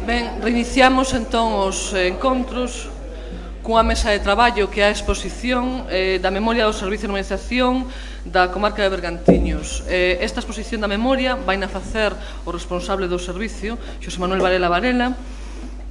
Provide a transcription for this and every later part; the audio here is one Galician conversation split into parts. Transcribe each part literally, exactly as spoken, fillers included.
Ben, reiniciamos entón os encontros cunha mesa de traballo que é a exposición eh, da memoria do Servicio de Normalización da comarca de Bergantiños. Eh, esta exposición da memoria vai na facer o responsable do servicio, Xosé Manuel Varela Varela,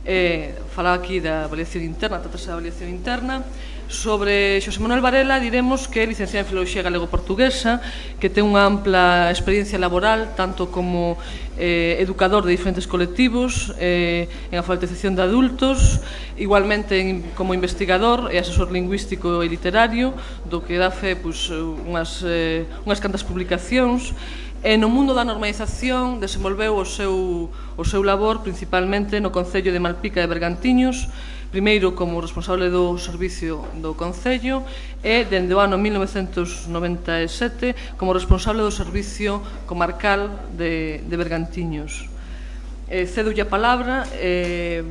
eh, falar aquí da avaliación interna, tratase da avaliación interna. Sobre Xosé Manuel Varela diremos que é licenciado en Filoloxía Galego-Portuguesa, que ten unha ampla experiencia laboral, tanto como eh, educador de diferentes colectivos, eh, en alfabetización de adultos, igualmente en, como investigador e asesor lingüístico e literario, do que dá fe pues, unhas, eh, unhas cantas publicacións. E no mundo da normalización desenvolveu o seu, o seu labor principalmente no Concello de Malpica de Bergantiños, primeiro como responsable do servicio do Concello e dende o ano mil novecentos noventa e sete como responsable do servicio comarcal de, de Bergantiños. Eh, cedolle a palabra eh,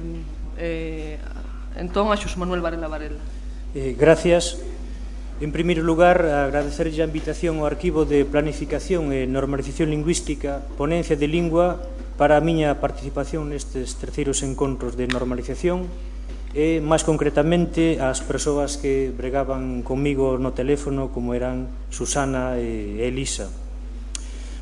eh, entón a Xosé Manuel Varela Varela. Eh, gracias. En primeiro lugar, agradecerlle a invitación ao Arquivo de Planificación e Normalización Lingüística, Ponencia de Lingua, para a miña participación nestes terceiros encontros de normalización e, máis concretamente, as persoas que bregaban comigo no teléfono, como eran Susana e Elisa.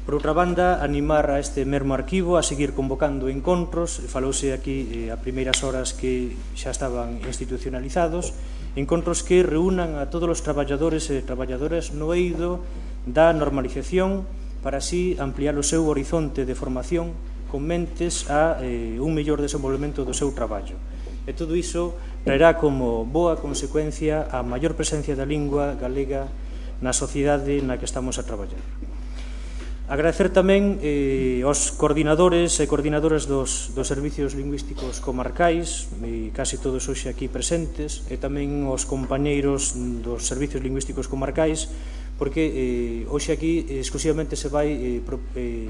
Por outra banda, animar a este mesmo arquivo a seguir convocando encontros. Falouse aquí a primeiras horas que xa estaban institucionalizados, encontros que reúnan a todos os traballadores e traballadoras no eido da normalización para así ampliar o seu horizonte de formación con mentes a eh, un mellor desenvolvemento do seu traballo. E todo iso traerá como boa consecuencia a maior presencia da lingua galega na sociedade na que estamos a traballar. Agradecer tamén eh, aos coordinadores e coordinadoras dos, dos servicios lingüísticos comarcais, e casi todos hoxe aquí presentes, e tamén aos compañeiros dos servicios lingüísticos comarcais, porque eh, hoxe aquí exclusivamente se vai eh, pro, eh,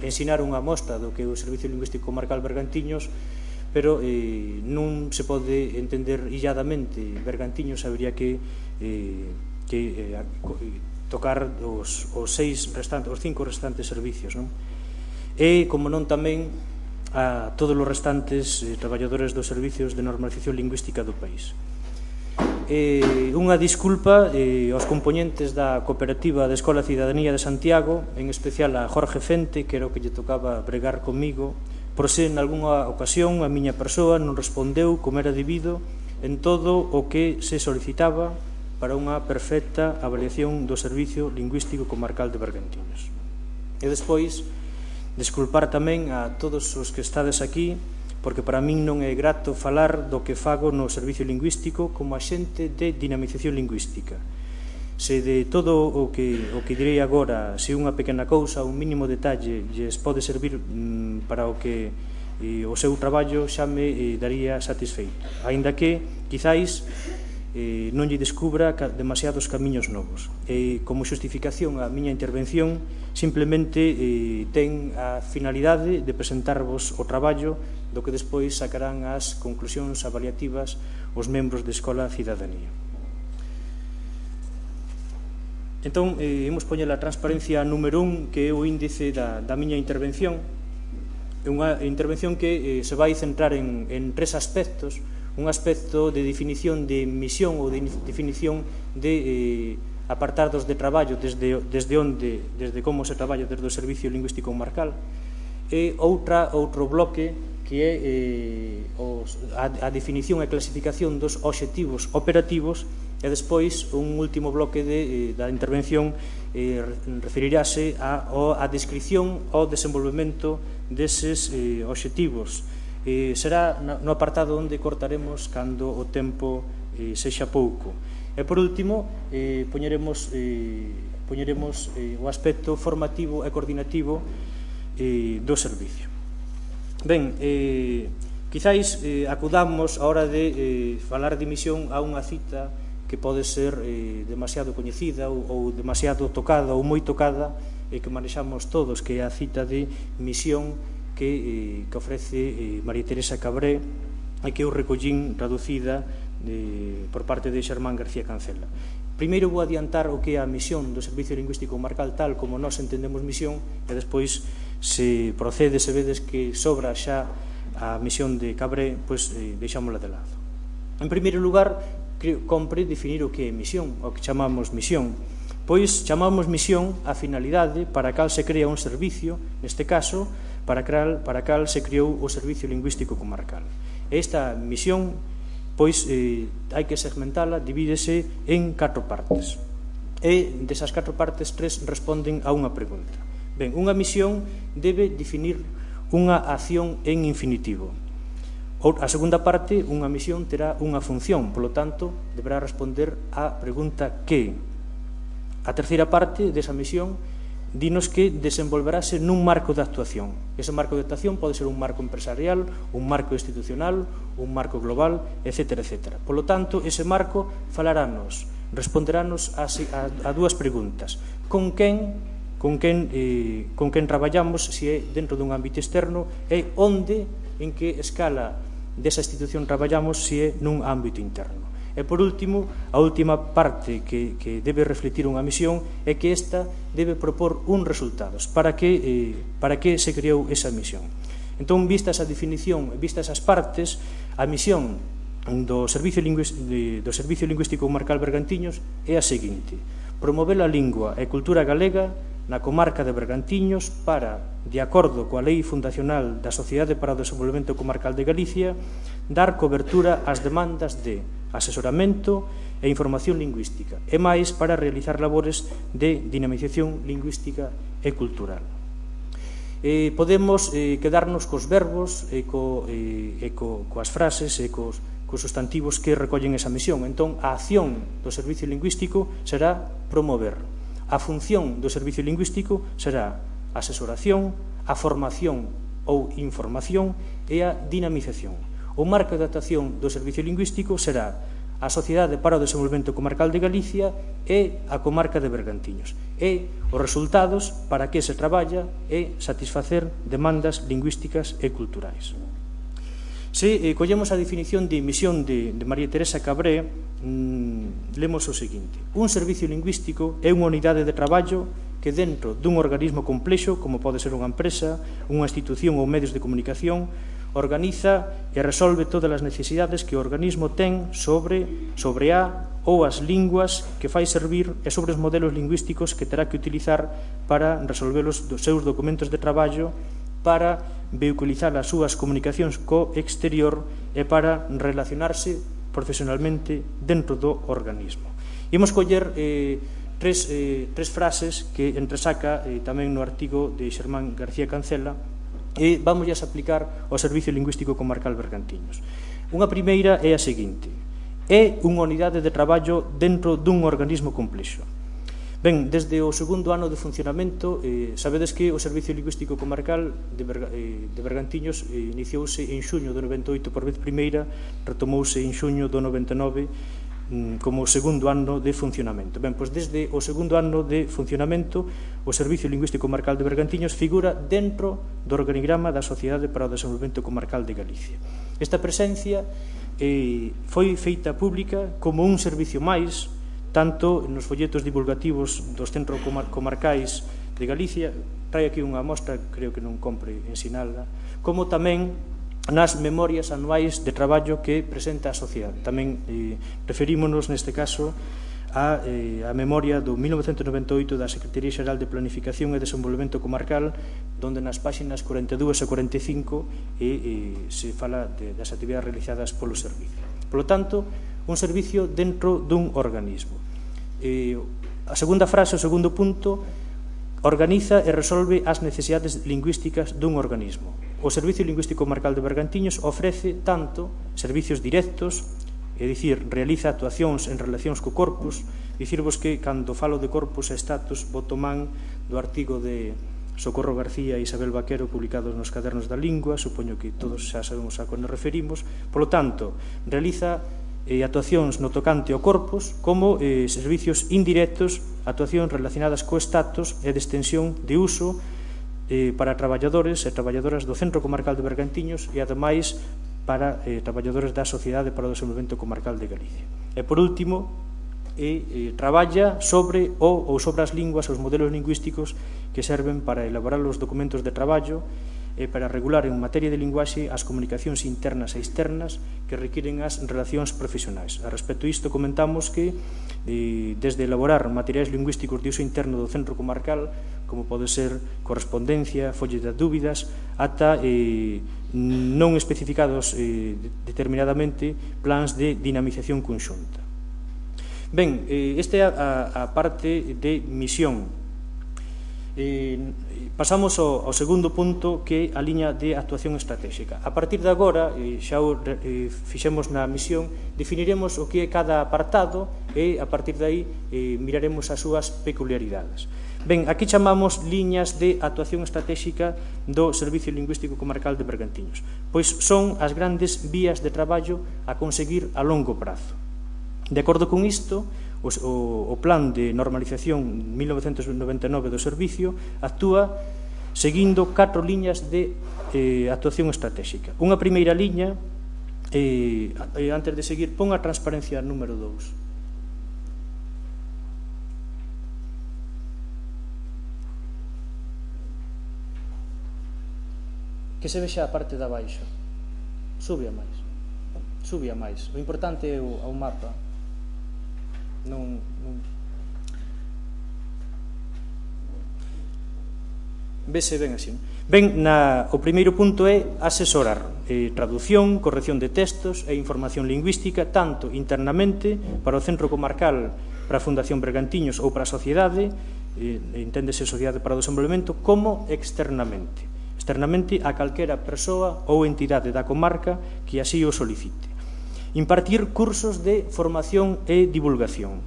ensinar unha mostra do que é o Servicio Lingüístico Comarcal Bergantiños, pero eh, non se pode entender illadamente Bergantiños, habería que, eh, que eh, tocar os, os seis restantes, os cinco restantes servicios, non? E, como non, tamén a todos os restantes eh, traballadores dos servicios de normalización lingüística do país. Eh, unha disculpa eh, aos componentes da cooperativa de Escola Cidadanía de Santiago, en especial a Jorge Fente, que era o que lle tocaba bregar comigo, por se en algunha ocasión a miña persoa non respondeu como era debido en todo o que se solicitaba para unha perfecta avaliación do Servicio Lingüístico Comarcal de Bergantiños. E despois, desculpar tamén a todos os que estades aquí, porque para min non é grato falar do que fago no Servicio Lingüístico como axente de dinamización lingüística. Se de todo o que, o que direi agora, se unha pequena cousa, un mínimo detalle, lles pode servir mm, para o que eh, o seu traballo xa me eh, daría satisfeito. Aínda que, quizáis, Eh, non lle descubra demasiados camiños novos. E, como xustificación a miña intervención, simplemente eh, ten a finalidade de presentarvos o traballo do que despois sacarán as conclusións avaliativas os membros de Escola Cidadanía. Entón, eh, imos poñer a transparencia número un, que é o índice da, da miña intervención. É unha intervención que eh, se vai centrar en, en tres aspectos. Un aspecto de definición de misión ou de definición de eh, apartados de traballo desde, desde onde, desde como se traballa desde o Servicio Lingüístico Comarcal, e outra, outro bloque que é eh, os, a, a definición e clasificación dos obxectivos operativos, e despois un último bloque de, eh, da intervención eh, referirase a, a descripción ao desenvolvemento deses eh, obxectivos. Eh, será no apartado onde cortaremos cando o tempo eh, sexa pouco. E por último, eh, poñeremos, eh, poñeremos eh, o aspecto formativo e coordinativo eh, do servicio. Ben, eh, quizáis eh, acudamos a hora de eh, falar de misión a unha cita que pode ser eh, demasiado coñecida ou, ou demasiado tocada ou moi tocada, e eh, que manexamos todos, que é a cita de misión que, eh, que ofrece eh, María Teresa Cabré, e que eu recollín traducida eh, por parte de Xermán García Cancela. Primeiro vou adiantar o que é a misión do Servicio Lingüístico Comarcal tal como nós entendemos misión, e despois se procede, se vedes que sobra xa a misión de Cabré, pois, eh, deixámola de lado. En primeiro lugar, creo, compre definir o que é misión, o que chamamos misión. Pois chamamos misión a finalidade para a cal se crea un servicio, neste caso, para a para cal se creou o Servicio Lingüístico Comarcal. Esta misión, pois, eh, hai que segmentala, divídese en catro partes. E desas catro partes, tres responden a unha pregunta. Ben, unha misión debe definir unha acción en infinitivo. A segunda parte, unha misión terá unha función, polo tanto, deberá responder á pregunta que. A terceira parte desa misión dinos que desenvolverase nun marco de actuación. Ese marco de actuación pode ser un marco empresarial, un marco institucional, un marco global, etcétera, etcétera. Polo tanto, ese marco falarános, responderános a, a, a dúas preguntas. Con quen, con quen, eh, con quen traballamos, se é dentro dun ámbito externo, e onde, en que escala desa institución traballamos, se é nun ámbito interno. E, por último, a última parte que, que debe refletir unha misión é que esta debe propor uns resultados. Para que, eh, para que se creou esa misión? Entón, vista esa definición, vista esas partes, a misión do Servicio, Lingüístico, do Servicio Lingüístico Comarcal Bergantiños é a seguinte: promover a lingua e cultura galega na comarca de Bergantiños para, de acordo coa Lei Fundacional da Sociedade para o Desenvolvemento Comarcal de Galicia, dar cobertura ás demandas de asesoramento e información lingüística, e máis para realizar labores de dinamización lingüística e cultural. Eh, podemos eh, quedarnos cos verbos e, co, eh, e co, coas frases e cos, cos sustantivos que recollen esa misión. Entón, a acción do Servicio Lingüístico será promover. A función do Servicio Lingüístico será a asesoración, a formación ou información e a dinamización. O marco de actuación do Servicio Lingüístico será a Sociedade para o Desenvolvemento Comarcal de Galicia e a comarca de Bergantiños. E os resultados para que se traballa é satisfacer demandas lingüísticas e culturais. Se eh, collemos a definición de misión de, de María Teresa Cabré, mmm, lemos o seguinte: un servicio lingüístico é unha unidade de traballo que dentro dun organismo complexo, como pode ser unha empresa, unha institución ou medios de comunicación, organiza e resolve todas as necesidades que o organismo ten sobre, sobre a ou as linguas que fai servir e sobre os modelos lingüísticos que terá que utilizar para resolver os seus documentos de traballo, para vehiculizar as súas comunicacións co exterior e para relacionarse profesionalmente dentro do organismo. Imos coller eh, tres, eh, tres frases que entresaca eh, tamén no artigo de Xermán García Cancela e vamos a aplicar ao Servicio Lingüístico Comarcal Bergantiños. Unha primeira é a seguinte: é unha unidade de traballo dentro dun organismo complexo. Ben, desde o segundo ano de funcionamento, eh, sabedes que o Servicio Lingüístico Comarcal de, Berga, eh, de Bergantiños eh, iniciouse en xuño do noventa e oito por vez primeira, retomouse en xuño do noventa e nove mm, como o segundo ano de funcionamento. Ben, pois desde o segundo ano de funcionamento, o Servicio Lingüístico Comarcal de Bergantiños figura dentro do organigrama da Sociedade para o Desenvolvemento Comarcal de Galicia. Esta presencia eh, foi feita pública como un servicio máis, tanto nos folletos divulgativos dos centros comarcais de Galicia, trae aquí unha mostra, creo que non compre ensinala, como tamén nas memorias anuais de traballo que presenta a sociedade. Tamén eh, referímonos neste caso a, eh, a memoria do mil novecentos noventa e oito da Secretaría Xeral de Planificación e Desenvolvemento Comarcal, donde nas páxinas cuarenta e dúas e cuarenta e cinco eh, eh, se fala de, das actividades realizadas polo servicio. Polo tanto, un servicio dentro dun organismo. Eh, a segunda frase, o segundo punto, organiza e resolve as necesidades lingüísticas dun organismo. O Servicio Lingüístico Comarcal de Bergantiños ofrece tanto servicios directos, é dicir, realiza actuacións en relacións co corpus. Dicirvos que, cando falo de corpus e status, boto man do artigo de Socorro García e Isabel Vaquero publicados nos Cadernos da Lingua, supoño que todos xa sabemos a que nos referimos. Por lo tanto, realiza eh, actuacións no tocante ao corpus como eh, servicios indirectos, actuacións relacionadas co status e de extensión de uso eh, para traballadores e traballadoras do Centro Comarcal de Bergantiños e, ademais, para eh, traballadores da Sociedade para o Desenvolvemento Comarcal de Galicia. E, por último, e eh, traballa sobre o ou sobre as linguas, os modelos lingüísticos que serven para elaborar os documentos de traballo e para regular en materia de linguaxe as comunicacións internas e externas que requiren as relacións profesionais. A respecto disto comentamos que eh, desde elaborar materiais lingüísticos de uso interno do centro comarcal, como pode ser correspondencia, folles de dúbidas, ata eh, non especificados eh, determinadamente plans de dinamización conxunta. Ben, eh, esta é a, a parte de misión. Eh, pasamos ao, ao segundo punto, que é a liña de actuación estratégica. A partir de agora, eh, xa o eh, fixemos na misión, definiremos o que é cada apartado e a partir de aí eh, miraremos as súas peculiaridades. Ben, aquí chamamos liñas de actuación estratégica do Servicio Lingüístico Comarcal de Bergantiños, pois son as grandes vías de traballo a conseguir a longo prazo. De acordo con isto, O, o plan de normalización mil novecentos noventa e nove do servicio actúa seguindo catro liñas de eh, actuación estratégica. Unha primeira liña, eh, antes de seguir, pon a transparencia número dous. Que se vexa a parte de abaixo. Sube a máis. Sube a máis. O importante é o, o mapa. Non, non. Vese ben así. Ben, na, o primeiro punto é asesorar eh, traducción, corrección de textos e información lingüística tanto internamente para o Centro Comarcal, para a Fundación Bergantiños ou para a sociedade, eh, enténdese Sociedade para o Desenvolvemento, como externamente externamente a calquera persoa ou entidade da comarca que así o solicite. Impartir cursos de formación e divulgación.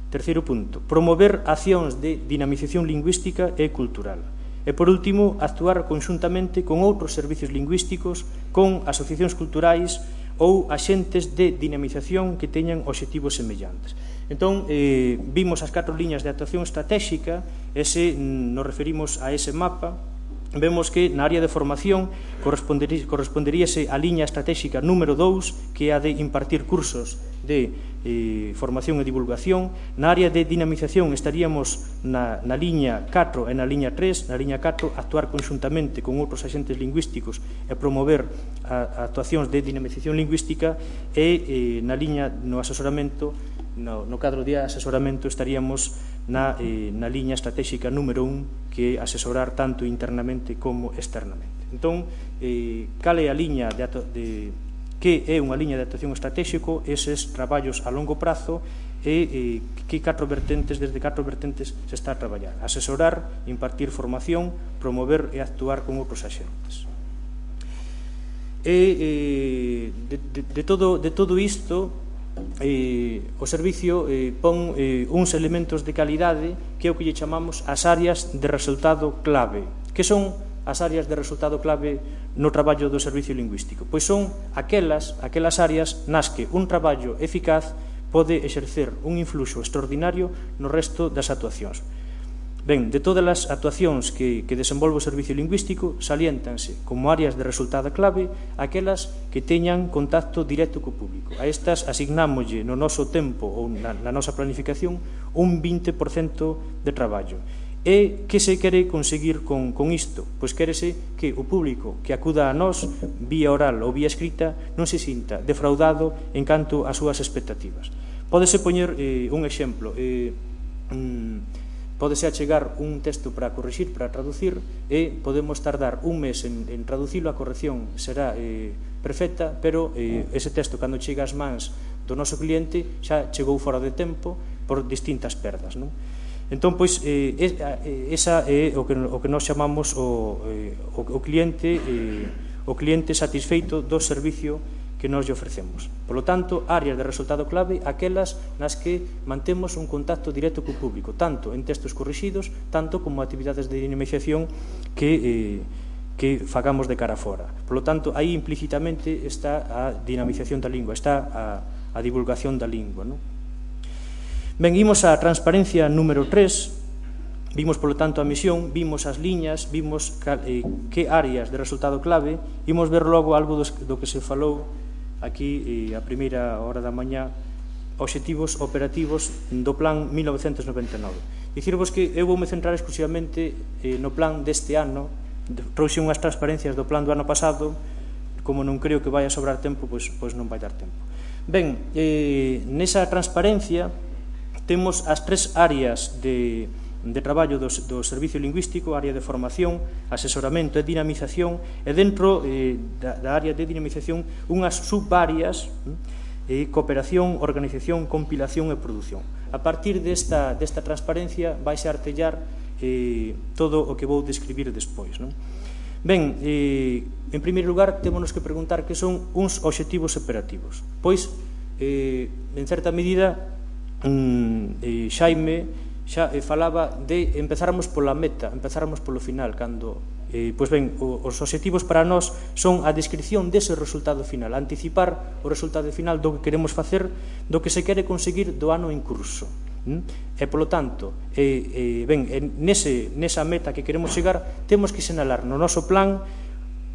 Terceiro punto, promover accións de dinamización lingüística e cultural. E, por último, actuar conxuntamente con outros servicios lingüísticos, con asociacións culturais ou axentes de dinamización que teñan obxectivos semellantes. Entón, eh, vimos as catro liñas de actuación estratégica, e se nos referimos a ese mapa, vemos que na área de formación corresponderíase a liña estratégica número dous, que é a de impartir cursos de eh, formación e divulgación. Na área de dinamización estaríamos na, na liña catro e na liña tres. Na liña catro, actuar conxuntamente con outros axentes lingüísticos e promover a, a actuacións de dinamización lingüística, e eh, na liña no asesoramento, no, no cadro de asesoramento, estaríamos na, eh, na liña estratégica número un, que é asesorar tanto internamente como externamente. Entón, eh, cal é a liña de, de que é unha liña de actuación estratégico, eses traballos a longo prazo, e eh, que catro vertentes, desde catro vertentes se está a traballar: asesorar, impartir formación, promover e actuar con outros axentes. E eh, de, de, de, todo, de todo isto, Eh, o servicio eh, pon eh, uns elementos de calidade que é o que lle chamamos as áreas de resultado clave. Que son as áreas de resultado clave no traballo do servicio lingüístico? Pois son aquelas, aquelas áreas nas que un traballo eficaz pode exercer un influxo extraordinario no resto das actuacións. Ben, de todas as actuacións que, que desenvolve o servicio lingüístico, saliéntanse como áreas de resultado clave aquelas que teñan contacto directo co público. A estas asignámoslle no noso tempo ou na, na nosa planificación un vinte por cento de traballo. E que se quere conseguir con, con isto? Pois quérese que o público que acuda a nós, vía oral ou vía escrita, non se sinta defraudado en canto ás súas expectativas. Pódese poñer eh, un exemplo. Eh, mm, Pódese achegar un texto para corrixir, para traducir, e podemos tardar un mes en, en traducilo. A corrección será eh, perfecta, pero eh, ese texto, cando chega ás mans do noso cliente, xa chegou fora de tempo por distintas perdas, non? Entón, pois, eh, esa é o que, o que nós chamamos o, eh, o, o cliente eh, o cliente satisfeito do servicio que nós lle ofrecemos. Por lo tanto, áreas de resultado clave, aquelas nas que mantemos un contacto directo co público, tanto en textos corrixidos, tanto como actividades de dinamización que, eh, que fagamos de cara fora. Por lo tanto, aí implícitamente está a dinamización da lingua, está a, a divulgación da lingua, non? Ben, imos á transparencia número tres. Vimos, polo tanto, a misión, vimos as liñas, vimos eh, que áreas de resultado clave. Imos ver logo algo do, do que se falou aquí eh, a primeira hora da mañá, obxectivos operativos do plan mil novecentos noventa e nove. Dicirvos que eu voume centrar exclusivamente eh, no plan deste ano, trouxe unhas transparencias do plan do ano pasado, como non creo que vai a sobrar tempo, pois, pois non vai dar tempo. Ben, eh, nesa transparencia temos as tres áreas de, de traballo do, do servicio lingüístico, área de formación, asesoramento e dinamización, e dentro eh, da, da área de dinamización unhas subáreas, eh, cooperación, organización, compilación e produción. A partir desta, desta transparencia vais a artellar eh, todo o que vou describir despois, non? Ben, eh, en primeiro lugar, témonos que preguntar que son uns obxectivos operativos. Pois, eh, en certa medida, mm, eh, Xaime xa eh, falaba de empezáramos pola meta, empezáramos polo final, cando, eh, pois ben, o, os obxectivos para nós son a descripción dese resultado final, anticipar o resultado final do que queremos facer, do que se quere conseguir do ano en curso. E, polo tanto, eh, eh, ben, nese, nesa meta que queremos chegar, temos que sinalar no noso plan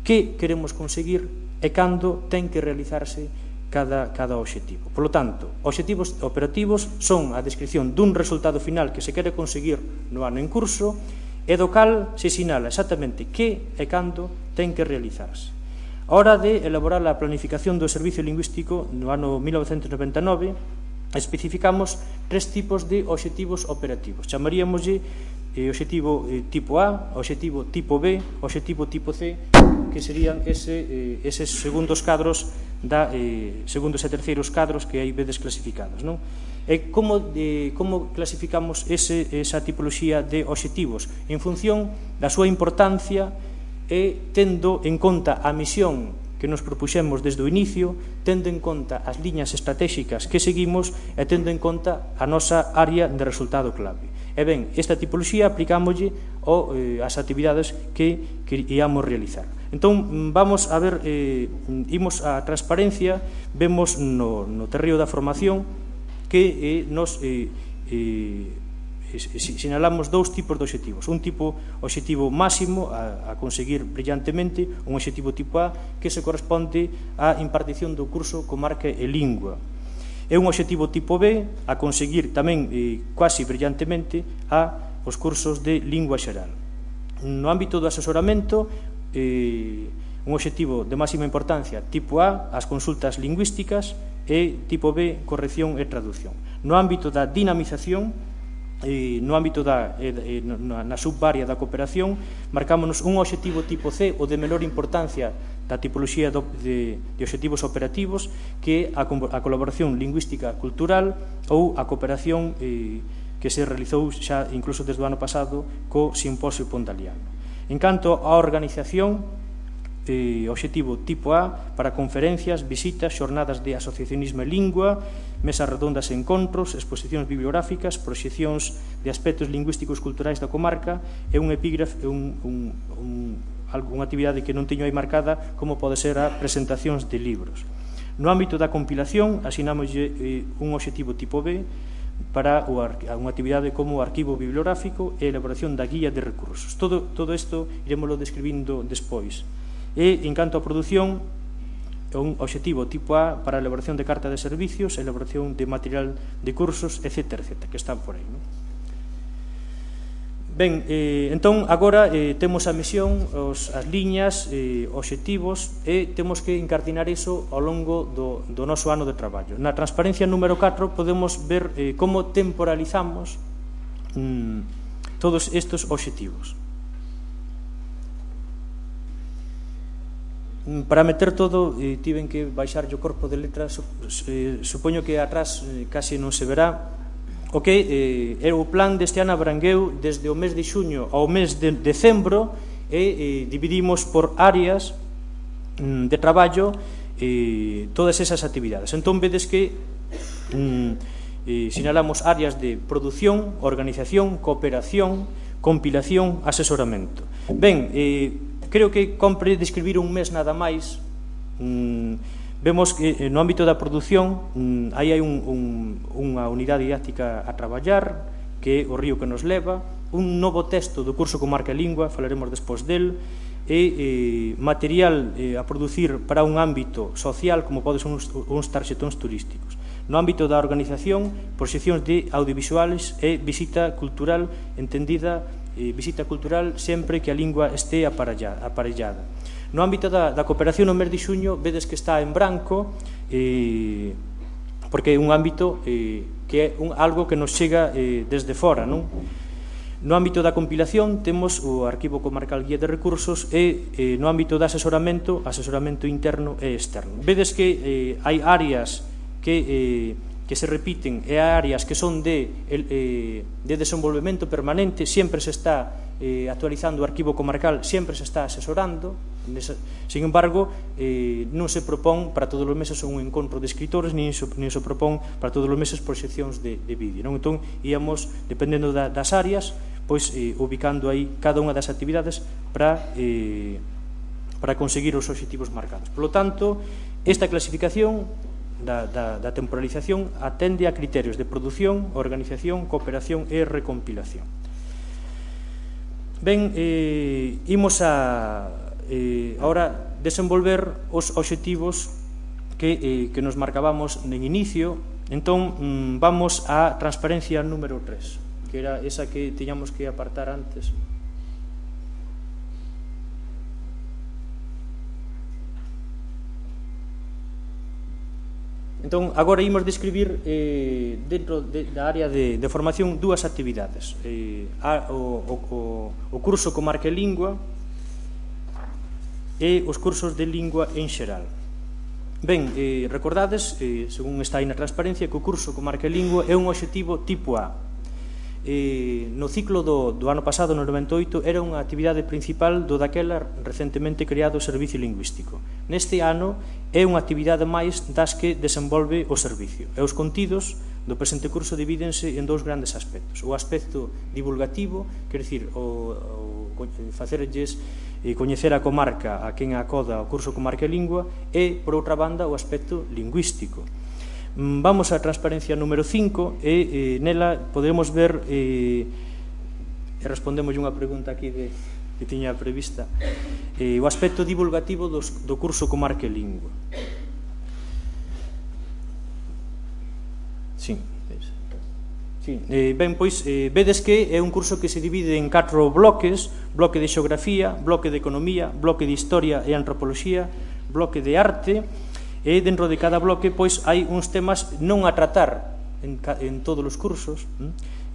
que queremos conseguir e cando ten que realizarse cada, cada obxectivo. Polo tanto, obxectivos operativos son a descripción dun resultado final que se quere conseguir no ano en curso e do cal se sinala exactamente que e cando ten que realizarse. A hora de elaborar a planificación do servicio lingüístico no ano mil novecentos noventa e nove, especificamos tres tipos de obxectivos operativos. Chamaríamoslle eh, obxectivo eh, tipo A, obxectivo tipo B, obxectivo tipo C, que serían ese, eh, eses segundos cadros, da, eh, segundos e terceiros cadros que aí vedes clasificados, non? E como, eh, como clasificamos ese, esa tipoloxía de obxectivos? En función da súa importancia e tendo en conta a misión que nos propuxemos desde o inicio, tendo en conta as liñas estratégicas que seguimos e tendo en conta a nosa área de resultado clave. E ben, esta tipoloxía aplicámoslle ao, eh, as actividades que, que íamos realizar. Entón, vamos a ver, eh, imos a transparencia, vemos no, no terreo da formación que eh, nos eh, eh, sinalamos dous tipos de obxectivos. Un tipo obxectivo máximo a, a conseguir brillantemente, un obxectivo tipo A que se corresponde á impartición do curso Comarca e Lingua, e un obxectivo tipo B a conseguir tamén eh, quasi brillantemente a os cursos de Lingua Xeral. No ámbito do asesoramento, eh, un obxectivo de máxima importancia tipo A, as consultas lingüísticas, e tipo B, corrección e traducción. No ámbito da dinamización, E no ámbito da eh, na, na subárea da cooperación, marcámonos un obxectivo tipo C, o de menor importancia da tipoloxía do, de, de obxectivos operativos, que é a, a colaboración lingüística cultural ou a cooperación eh, que se realizou xa incluso desde o ano pasado co Simposio Pondaliano. En canto á organización, Eh, obxectivo tipo A para conferencias, visitas, xornadas de asociacionismo e lingua, mesas redondas e encontros, exposicións bibliográficas, proxeccións de aspectos lingüísticos culturais da comarca e un epígrafe, un, un, un, unha actividade que non teño aí marcada, como pode ser a presentacións de libros. No ámbito da compilación, asinámoslle eh, un obxectivo tipo B para unha actividade como o arquivo bibliográfico e a elaboración da guía de recursos. Todo, todo isto iremoslo describindo despois. E, en canto á produción, un obxectivo tipo A para a elaboración de carta de servicios, elaboración de material de cursos, etcétera, etcétera, que están por aí, non? Ben, eh, entón, agora eh, temos a misión, os, as liñas, eh, obxectivos, e temos que encardinar iso ao longo do, do noso ano de traballo. Na transparencia número catro podemos ver eh, como temporalizamos mm, todos estes obxectivos. Para meter todo, eh, tiven que baixar o corpo de letras, eh, supoño que atrás eh, casi non se verá. O que eh, é o plan deste ano abrangueu desde o mes de xuño ao mes de decembro e eh, dividimos por áreas mm, de traballo eh, todas esas actividades. Entón vedes que mm, eh, sinalamos áreas de produción, organización, cooperación, compilación, asesoramento. Ben, eh, creo que compre describir un mes nada máis. Mm, vemos que no ámbito da produción mm, aí hai un, un, unha unidade didáctica a traballar, que é o río que nos leva, un novo texto do curso Comarca e Lingua, falaremos despois del, e eh, material eh, a producir para un ámbito social, como poden ser uns, uns tarxetóns turísticos. No ámbito da organización, proxeccións de audiovisuales e visita cultural entendida eh, visita cultural sempre que a lingua este aparellada. No ámbito da, da cooperación no mes de xuño vedes que está en branco, eh, porque é un ámbito eh, que é un, algo que nos chega eh, desde fora, non? No ámbito da compilación temos o Arquivo Comarcal Guía de Recursos e eh, no ámbito de asesoramento, asesoramento interno e externo. Vedes que eh, hai áreas que, eh, que se repiten e áreas que son de, eh, de desenvolvemento permanente, sempre se está eh, actualizando o Arquivo Comarcal, sempre se está asesorando. Sin embargo, eh, non se propón para todos os meses un encontro de escritores, nin se, nin se propón para todos os meses proxeccións de, de vídeo, non? Entón, íamos, dependendo da, das áreas, pois eh, ubicando aí cada unha das actividades para, eh, para conseguir os obxectivos marcados. Por lo tanto, esta clasificación da, da, da temporalización atende a criterios de produción, organización, cooperación e recompilación. Ben, eh, imos a eh, ahora desenvolver os obxectivos que, eh, que nos marcábamos en inicio. Entón, mm, vamos á transparencia número tres, que era esa que tiñamos que apartar antes. Entón, agora imos describir eh, dentro de, da área de, de formación dúas actividades. Eh, a, o, o, o curso Comarca e Lingua e os cursos de lingua en xeral. Ben, eh, recordades, eh, según está aí na transparencia, que o curso Comarca e Lingua é un obxectivo tipo A. Eh, no ciclo do, do ano pasado, no noventa e oito, era unha actividade principal do daquela recentemente creado Servicio Lingüístico. Neste ano é unha actividade máis das que desenvolve o servicio. E os contidos do presente curso divídense en dous grandes aspectos. O aspecto divulgativo, quer dicir, o, o facerlles e coñecer a comarca a quen acoda o curso Comarca e Lingua, e, por outra banda, o aspecto lingüístico. Vamos á transparencia número cinco e eh, nela podemos ver eh, e respondemos unha pregunta aquí de, que tiña prevista, eh, o aspecto divulgativo dos, do curso Comarca e Lingua. Sí, sí. Eh, ben, pois, eh, vedes que é un curso que se divide en catro bloques: bloque de xeografía, bloque de economía, bloque de historia e antropoloxía, bloque de arte. E dentro de cada bloque pois hai uns temas non a tratar en, en todos os cursos,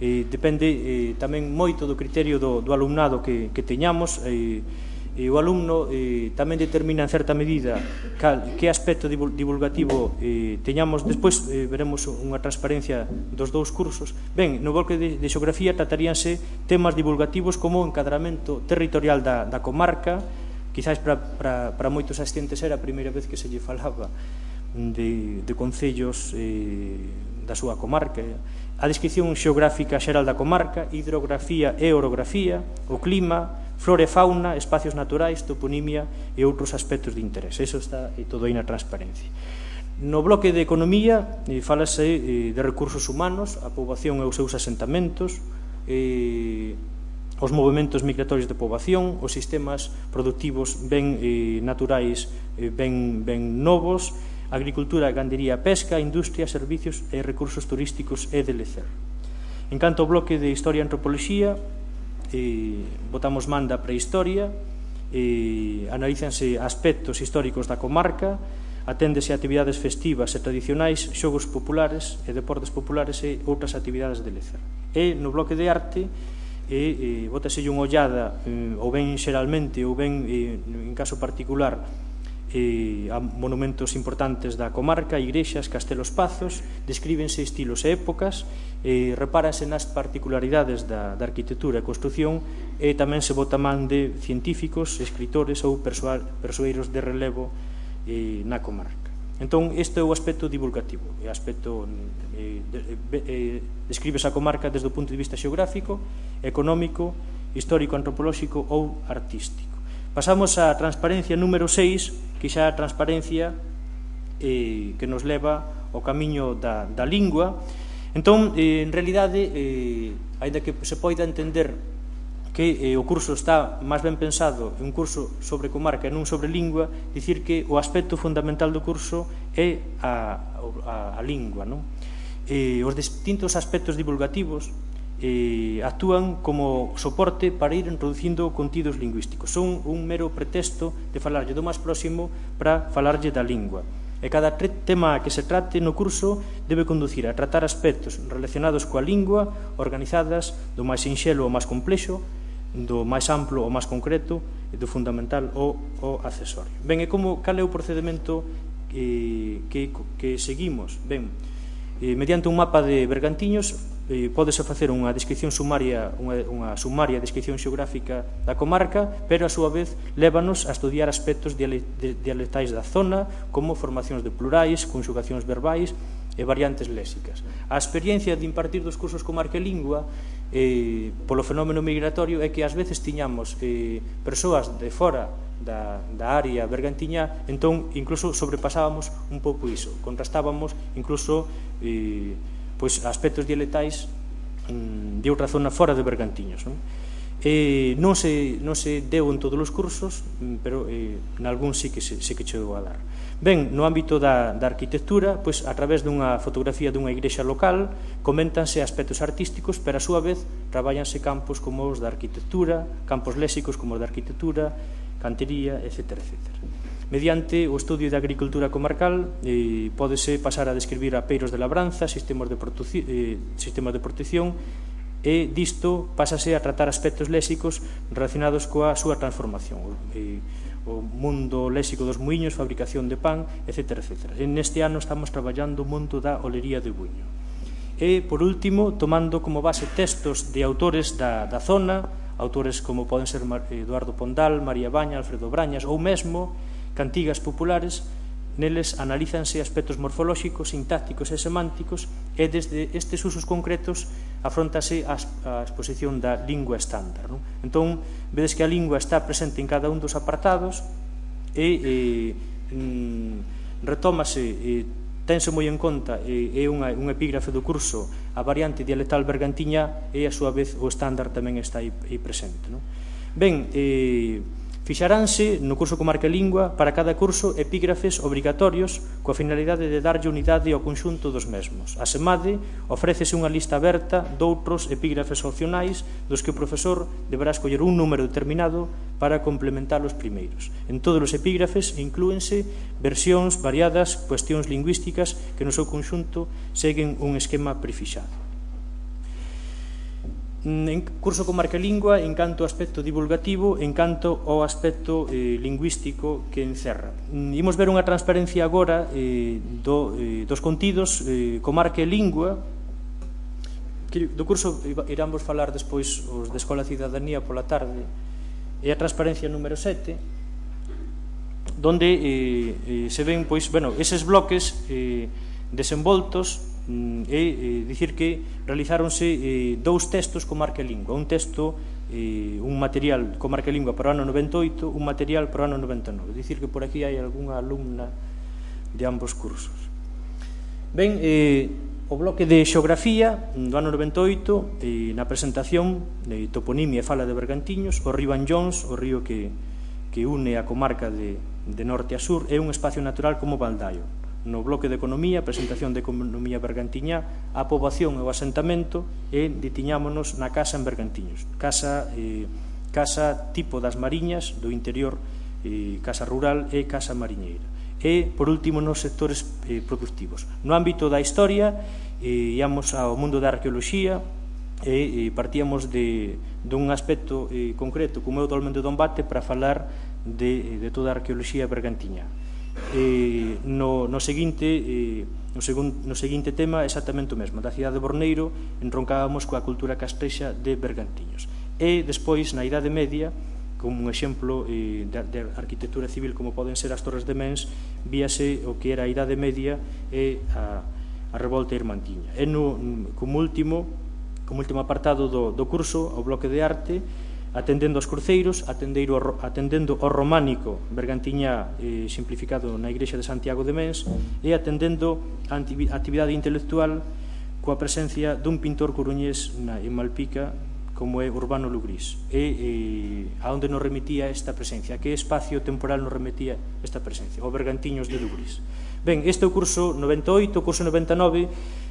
eh, depende eh, tamén moito do criterio do, do alumnado que, que teñamos, eh, e o alumno eh, tamén determina en certa medida cal, que aspecto divulgativo eh, teñamos. Despois eh, veremos unha transparencia dos dous cursos. Ben, no bloque de, de xeografía trataríanse temas divulgativos como o encadramento territorial da, da comarca. Quizás para, para, para moitos asistentes era a primeira vez que se lle falaba de, de concellos eh, da súa comarca. A descripción xeográfica xeral da comarca, hidrografía e orografía, o clima, flora e fauna, espacios naturais, toponimia e outros aspectos de interés. Eso está eh, todo aí na transparencia. No bloque de economía eh, falase eh, de recursos humanos, a poboación e os seus asentamentos, eh, os movimentos migratorios de poboación, os sistemas productivos ben eh, naturais, eh, ben, ben novos, agricultura, gandería, pesca, industria, servicios e recursos turísticos e de lecer. En canto ao bloque de historia e antropoloxía, eh, botamos man da prehistoria, eh, analízanse aspectos históricos da comarca, aténdese a actividades festivas e tradicionais, xogos populares e deportes populares e outras actividades de lecer. E no bloque de arte, e eh, bótaselle unha ollada eh, ou ben xeralmente ou ben eh, en caso particular eh, a monumentos importantes da comarca, igrexas, castelos, pazos, descríbense estilos e épocas, eh, repáranse nas particularidades da, da arquitectura e construción, e tamén se bota man de científicos, escritores ou persoeiros de relevo eh, na comarca. Entón, este é o aspecto divulgativo, o aspecto eh, de, eh, describes a comarca desde o punto de vista xeográfico, económico, histórico, antropolóxico ou artístico. Pasamos á transparencia número seis, que xa é a transparencia eh, que nos leva ao camiño da, da lingua. Entón, eh, en realidade, eh, ainda que se poida entender que eh, o curso está máis ben pensado, un curso sobre comarca e non sobre lingua, dicir que o aspecto fundamental do curso é a, a, a lingua, non? Eh, os distintos aspectos divulgativos eh, actúan como soporte para ir introducindo contidos lingüísticos. Son un mero pretexto de falarlle do máis próximo para falarlle da lingua. E cada tema que se trate no curso debe conducir a tratar aspectos relacionados coa lingua, organizadas do máis sinxelo ao máis complexo, do máis amplo ao máis concreto, e do fundamental ao, ao accesorio. Ben, e como, cal é o procedimento que, que, que seguimos? Ben, eh, mediante un mapa de bergantiños, eh, pódese facer unha descripción sumaria, unha, unha sumaria descripción xeográfica da comarca, pero a súa vez lévanos a estudiar aspectos dialectais da zona, como formacións de plurais, conxugacións verbais e variantes léxicas. A experiencia de impartir dos cursos Comarca e Lingua eh, polo fenómeno migratorio é que ás veces tiñamos eh, persoas de fora da, da área bergantiñá, entón incluso sobrepasábamos un pouco iso, contrastábamos incluso eh, pois, aspectos dialectais mm, de outra zona fora de Bergantiños, non? Eh, non, se, non se deu en todos os cursos, pero eh, nalgún sí que se, sí que chegou a dar. Ben, no ámbito da, da arquitectura, pois, a través dunha fotografía dunha igrexa local, coméntanse aspectos artísticos, pero a súa vez traballanse campos como os da arquitectura, campos léxicos como os da arquitectura, cantería, etcétera, etcétera. Mediante o estudio da agricultura comarcal, eh, pódese pasar a describir apeiros de labranza, sistemas de, eh, sistemas de protección, e disto pásase a tratar aspectos léxicos relacionados coa súa transformación, eh, o mundo léxico dos muiños, fabricación de pan, etcétera, etcétera. E neste ano estamos traballando o mundo da olería de buño. E, por último, tomando como base textos de autores da, da zona, autores como poden ser Eduardo Pondal, María Baña, Alfredo Brañas, ou mesmo cantigas populares, neles analízanse aspectos morfolóxicos, sintácticos e semánticos, e desde estes usos concretos afrontase a exposición da lingua estándar, non? Entón, vedes que a lingua está presente en cada un dos apartados e eh, mm, retómase, eh, tense moi en conta, eh, é unha, un epígrafe do curso, a variante dialectal bergantiñá, e a súa vez o estándar tamén está aí, aí presente, non? Ben, eh, fixaranse no curso Comarca e Lingua para cada curso epígrafes obrigatorios coa finalidade de darlle unidade ao conxunto dos mesmos. A SEMADE ofrécese unha lista aberta doutros epígrafes opcionais dos que o profesor deberá escoller un número determinado para complementar os primeiros. En todos os epígrafes inclúense versións variadas, cuestións lingüísticas que no seu conxunto seguen un esquema prefixado. En curso Comarca e Lingua, en canto ao aspecto divulgativo, en canto ao aspecto eh, lingüístico que encerra. Imos ver unha transparencia agora eh, do, eh, dos contidos eh, Comarca e Lingua. Do curso iramos falar despois os de Escola e Cidadanía pola tarde. E a transparencia número sete, donde eh, eh, se ven, pois, bueno, eses bloques eh, desenvoltos, e eh, dicir que realizáronse eh, dous textos Comarca e Lingua, un texto, eh, un material Comarca e Lingua para o ano noventa e oito, un material para o ano noventa e nove, dicir que por aquí hai algunha alumna de ambos cursos. Ben, eh, o bloque de xeografía do ano noventa e oito, eh, na presentación de toponimia e fala de Bergantiños, o río Anllóns, o río que, que une a comarca de, de norte a sur, é un espacio natural como Baldaio. No bloque de economía, presentación de economía bergantiñá, a poboación e o asentamento, e detiñámonos na casa en Bergantiños, casa, eh, casa tipo das mariñas do interior, eh, casa rural e casa mariñeira. E, por último, nos sectores eh, productivos. No ámbito da historia, eh, íamos ao mundo da arqueoloxía, e eh, partíamos de, dun aspecto eh, concreto, como é o dolmen de Dombate, para falar de, de toda a arqueoloxía bergantiñá. Eh, no, no, seguinte, eh, no, segun, no seguinte tema exactamente o mesmo, da cidade de Borneiro entroncábamos coa cultura castrexa de Bergantiños, e despois na Idade Media, como un exemplo eh, de, de arquitectura civil como poden ser as Torres de Mens, víase o que era a Idade Media e a, a revolta irmantiña. E no, como último como último apartado do, do curso, o bloque de arte, atendendo aos cruceiros, atendendo ao románico bergantiñá eh, simplificado na igrexa de Santiago de Mens, e atendendo a actividade intelectual coa presencia dun pintor coruñés na, en Malpica, como é Urbano Lugrís, e eh, a onde nos remitía esta presencia, a que espacio temporal nos remitía esta presencia, o Bergantiños de Lugrís. Ben, este é o curso noventa e oito, o curso noventa e nove,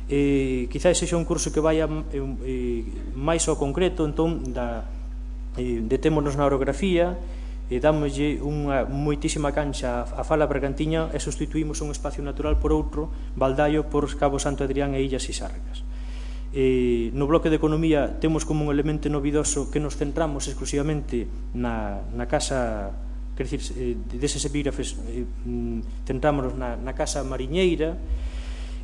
eh, quizás sexa un curso que vaya eh, máis ao concreto, entón da, eh, detémonos na orografía, e dámoslle unha moitísima cancha a Fala Bergantiña e sustituímos un espacio natural por outro, Baldaio por Cabo Santo Adrián e Illas Isárgas. Eh, no bloque de economía temos como un elemento novidoso que nos centramos exclusivamente na, na casa, quer dicir, eh, deses epígrafes eh, centrámonos na, na casa mariñeira,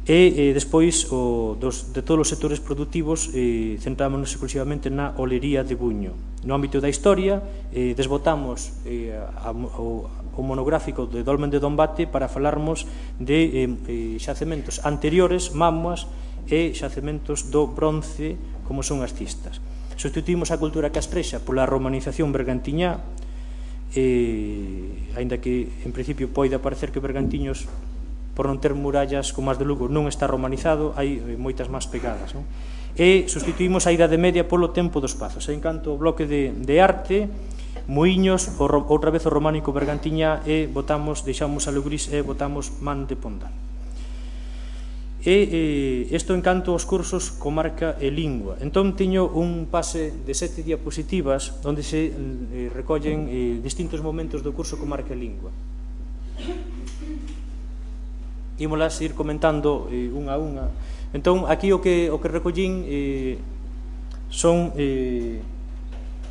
e eh, despois o, dos, de todos os sectores productivos eh, centrámonos exclusivamente na olería de Buño. No ámbito da historia eh, desbotamos eh, a, o, o monográfico de Dolmen de Dombate para falarmos de eh, xacementos anteriores, mamuas e xacementos do bronce como son as cistas. Substituímos a cultura castrexa pola romanización bergantiñá, eh, aínda que en principio poida parecer que Bergantiños, por non ter murallas como as de Lugo, non está romanizado, hai moitas máis pegadas, non? E sustituímos a Idade Media polo tempo dos Pazos. En canto ao bloque de, de arte, Muiños, o, outra vez o románico Bergantiñá, e botamos, deixamos a Lugris e botamos Man de Pondal. E isto en canto aos cursos comarca e lingua. Entón teño un pase de sete diapositivas onde se eh, recollen eh, distintos momentos do curso comarca e lingua. Ímolas ir comentando eh, unha a unha. Entón, aquí o que, o que recollín eh, son eh,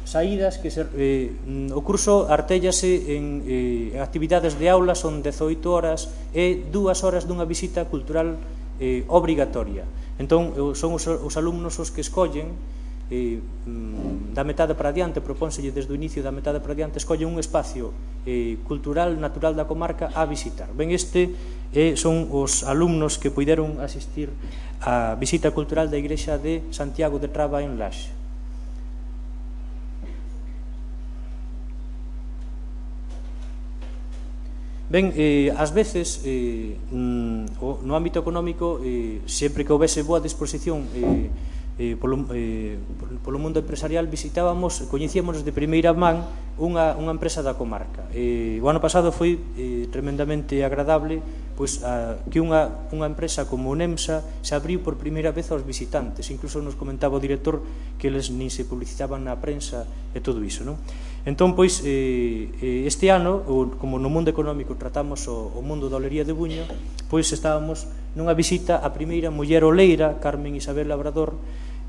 saídas que se, eh, o curso artéllase en eh, actividades de aula, son dezoito horas e dúas horas dunha visita cultural eh, obrigatoria. Entón, son os, os alumnos os que escollen eh, da metade para diante, propónselle desde o inicio da metade para diante, escollen un espacio eh, cultural natural da comarca a visitar. Ben, este eh, son os alumnos que puideron asistir á visita cultural da igrexa de Santiago de Traba en Laxe. Ben, eh, ás veces eh, no ámbito económico eh, sempre que houvese boa disposición eh, eh, polo, eh, polo mundo empresarial visitábamos, coñecíamos de primeira man unha, unha empresa da comarca. Eh, o ano pasado foi eh, tremendamente agradable pois, a, que unha, unha empresa como o NEMSA se abriu por primeira vez aos visitantes. Incluso nos comentaba o director que eles nin se publicitaban na prensa e todo iso, non? Entón, pois, eh, este ano, como no mundo económico tratamos o, o mundo da olería de Buño, pois estábamos nunha visita á primeira muller oleira, Carmen Isabel Labrador,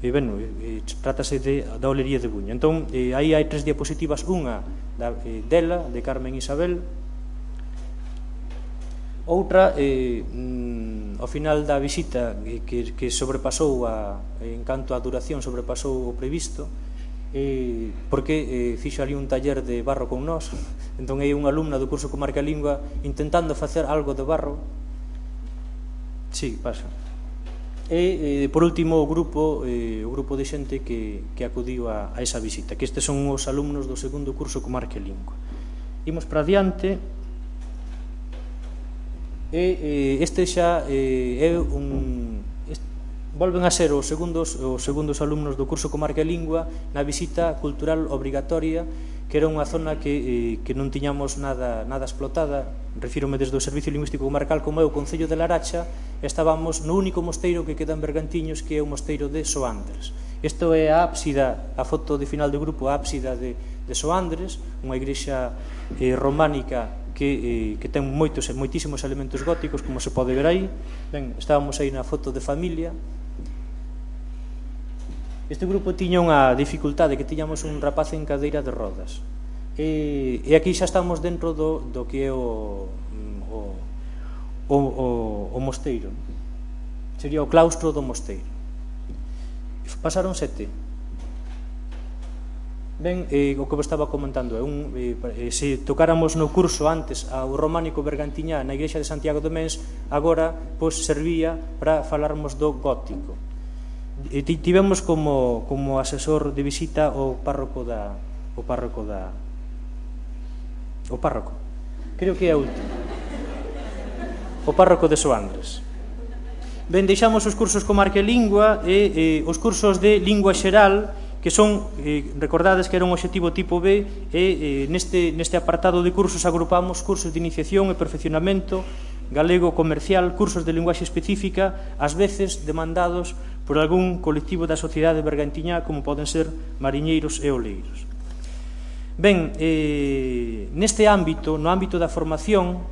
e, bueno, eh, trátase de, da olería de Buño. Entón, eh, aí hai tres diapositivas, unha da, eh, dela, de Carmen Isabel, outra, eh, mm, ao final da visita, eh, que, que sobrepasou, a, en canto á duración, sobrepasou o previsto, eh, porque eh, fixo ali un taller de barro con nós. Entón é unha alumna do curso Comarca e Lingua intentando facer algo de barro. Sí, pasa. E, eh, por último, o grupo eh, o grupo de xente que, que acudiu a, a esa visita, que estes son os alumnos do segundo curso Comarca e Lingua. Imos para diante. E eh, este xa eh, é un... volven a ser os segundos, os segundos alumnos do curso Comarca e Lingua na visita cultural obrigatoria, que era unha zona que, eh, que non tiñamos nada, nada explotada. Refírome desde o Servicio Lingüístico Comarcal como é o Concello de Laracha. Estábamos no único mosteiro que queda en Bergantiños, que é o mosteiro de Soandres. Isto é a ábsida, a foto de final do grupo, a ábsida de, de Soandres, unha igrexa eh, románica que, eh, que ten moitos, moitísimos elementos góticos, como se pode ver aí. Ben, estábamos aí na foto de familia. Este grupo tiña unha dificultade, que tiñamos un rapaz en cadeira de rodas. E, e aquí xa estamos dentro do, do que é o, o, o, o, o mosteiro. Sería o claustro do mosteiro. Pasaron sete. Ben, eh, o que vos estaba comentando é un, eh, se tocáramos no curso antes ao románico Bergantiñá na igrexa de Santiago de Mens, agora pois servía para falarmos do gótico. E tivemos como, como asesor de visita o párroco da o párroco da o párroco creo que é o último o párroco de Soandres. Ben, deixamos os cursos Comarca e Lingua e eh, os cursos de Lingua Xeral, que son, eh, recordades que era un obxectivo tipo B, e eh, neste, neste apartado de cursos agrupamos cursos de iniciación e perfeccionamento galego comercial, cursos de linguaxe específica, ás veces demandados por algún colectivo da sociedade bergantiñá, como poden ser mariñeiros e oleiros. Ben, eh, neste ámbito, no ámbito da formación,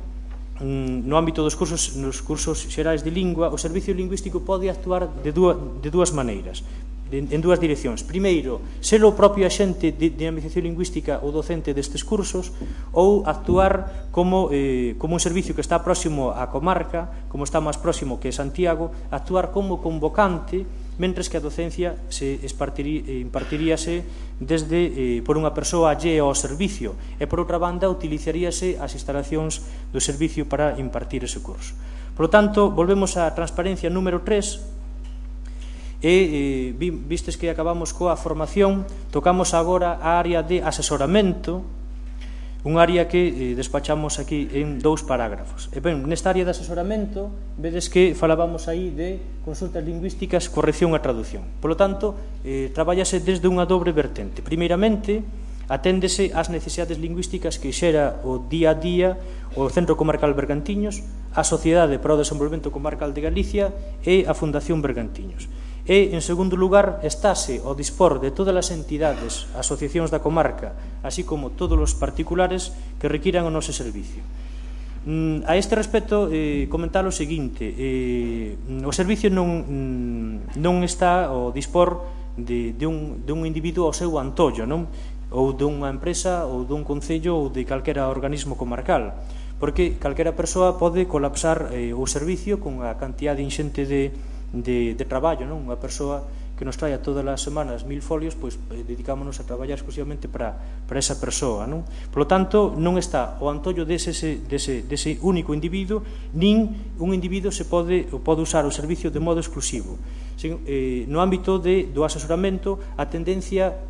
no ámbito dos cursos, nos cursos xerais de lingua, o servicio lingüístico pode actuar de dúas, de dúas maneiras, en, en dúas direccións. Primeiro, ser o propio axente de dinamización lingüística ou docente destes cursos, ou actuar como, eh, como un servicio que está próximo á comarca, como está máis próximo que Santiago, actuar como convocante, mentres que a docencia se impartiríase desde, eh, por unha persoa allea ao servicio, e por outra banda utilizaríase as instalacións do servicio para impartir ese curso. Por lo tanto, volvemos á transparencia número tres, e eh, vistes que acabamos coa formación, tocamos agora a área de asesoramento, un área que eh, despachamos aquí en dous parágrafos. E ben, nesta área de asesoramento, vedes que falábamos aí de consultas lingüísticas, corrección e traducción. Por lo tanto, eh, traballase desde unha dobre vertente. Primeiramente, aténdese ás necesidades lingüísticas que xera o día a día o Centro Comarcal Bergantiños, a Sociedade para o Desenvolvemento Comarcal de Galicia e a Fundación Bergantiños. E, en segundo lugar, estáse ao dispor de todas as entidades, asociacións da comarca, así como todos os particulares que requiran o noso servicio. A este respecto, eh, comentar o seguinte, eh, o servicio non, non está ao dispor de, de, un, de un individuo ao seu antollo, non? Ou dunha empresa, ou dun concello, ou de calquera organismo comarcal, porque calquera persoa pode colapsar eh, o servicio con a cantidad inxente de De, de traballo, non? Unha persoa que nos traia todas as semanas mil folios, pois eh, dedicámonos a traballar exclusivamente para, para esa persoa, non? Por lo tanto, non está o antollo dese, dese, dese único individuo, nin un individuo se pode, pode usar o servicio de modo exclusivo. Sin, eh, no ámbito de, do asesoramento, a tendencia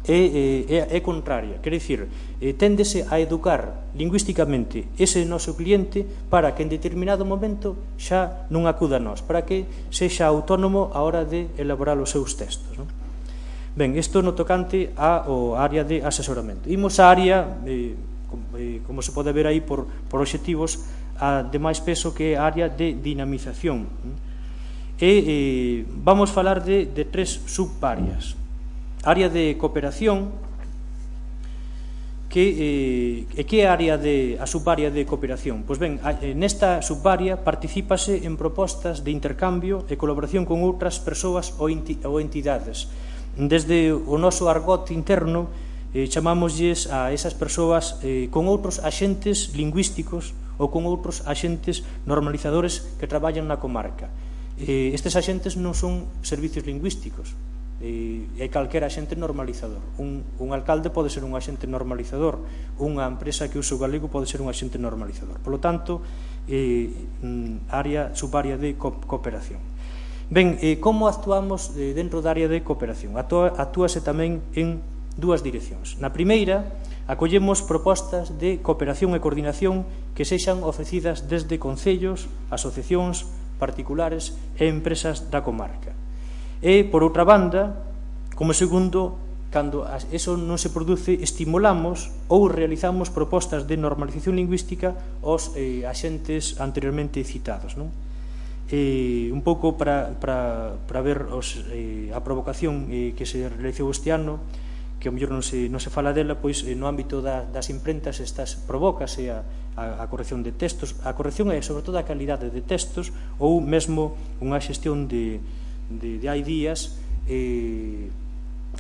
é, é, é contraria, quer dicir, eh, téndese a educar lingüísticamente ese noso cliente para que en determinado momento xa non acuda a nós, para que sexa autónomo a hora de elaborar os seus textos, non? Ben, isto no tocante ao área de asesoramento. Imos á área, eh, como, eh, como se pode ver aí por, por obxectivos, a de máis peso, que é a área de dinamización. E eh, vamos falar de, de tres subáreas. Área de cooperación, que eh, que é a área de a subárea de cooperación. Pois ben, nesta subárea particípase en propostas de intercambio e colaboración con outras persoas ou entidades. Desde o noso argot interno, eh, chamámoslles a esas persoas eh, con outros axentes lingüísticos ou con outros axentes normalizadores que traballan na comarca. Eh, estes axentes non son servicios lingüísticos, e hai calquera axente normalizador. Un, un alcalde pode ser un axente normalizador, unha empresa que usa o galego pode ser un axente normalizador. Por lo tanto, eh, área, subárea de co cooperación. Ben, eh, como actuamos eh, dentro da área de cooperación? Actúa, actúase tamén en dúas direccións. Na primeira, acollemos propostas de cooperación e coordinación que sexan ofrecidas desde concellos, asociacións, particulares e empresas da comarca. E, por outra banda, como segundo, cando eso non se produce, estimulamos ou realizamos propostas de normalización lingüística aos eh, axentes anteriormente citados, non? Eh, un pouco para, para, para ver os, eh, a provocación eh, que se realizou este ano, que ao mellor non se, non se fala dela, pois eh, no ámbito da, das imprentas estas provócase a, a, a corrección de textos, a corrección é sobre todo a calidade de textos, ou mesmo unha xestión de de, de hai días eh,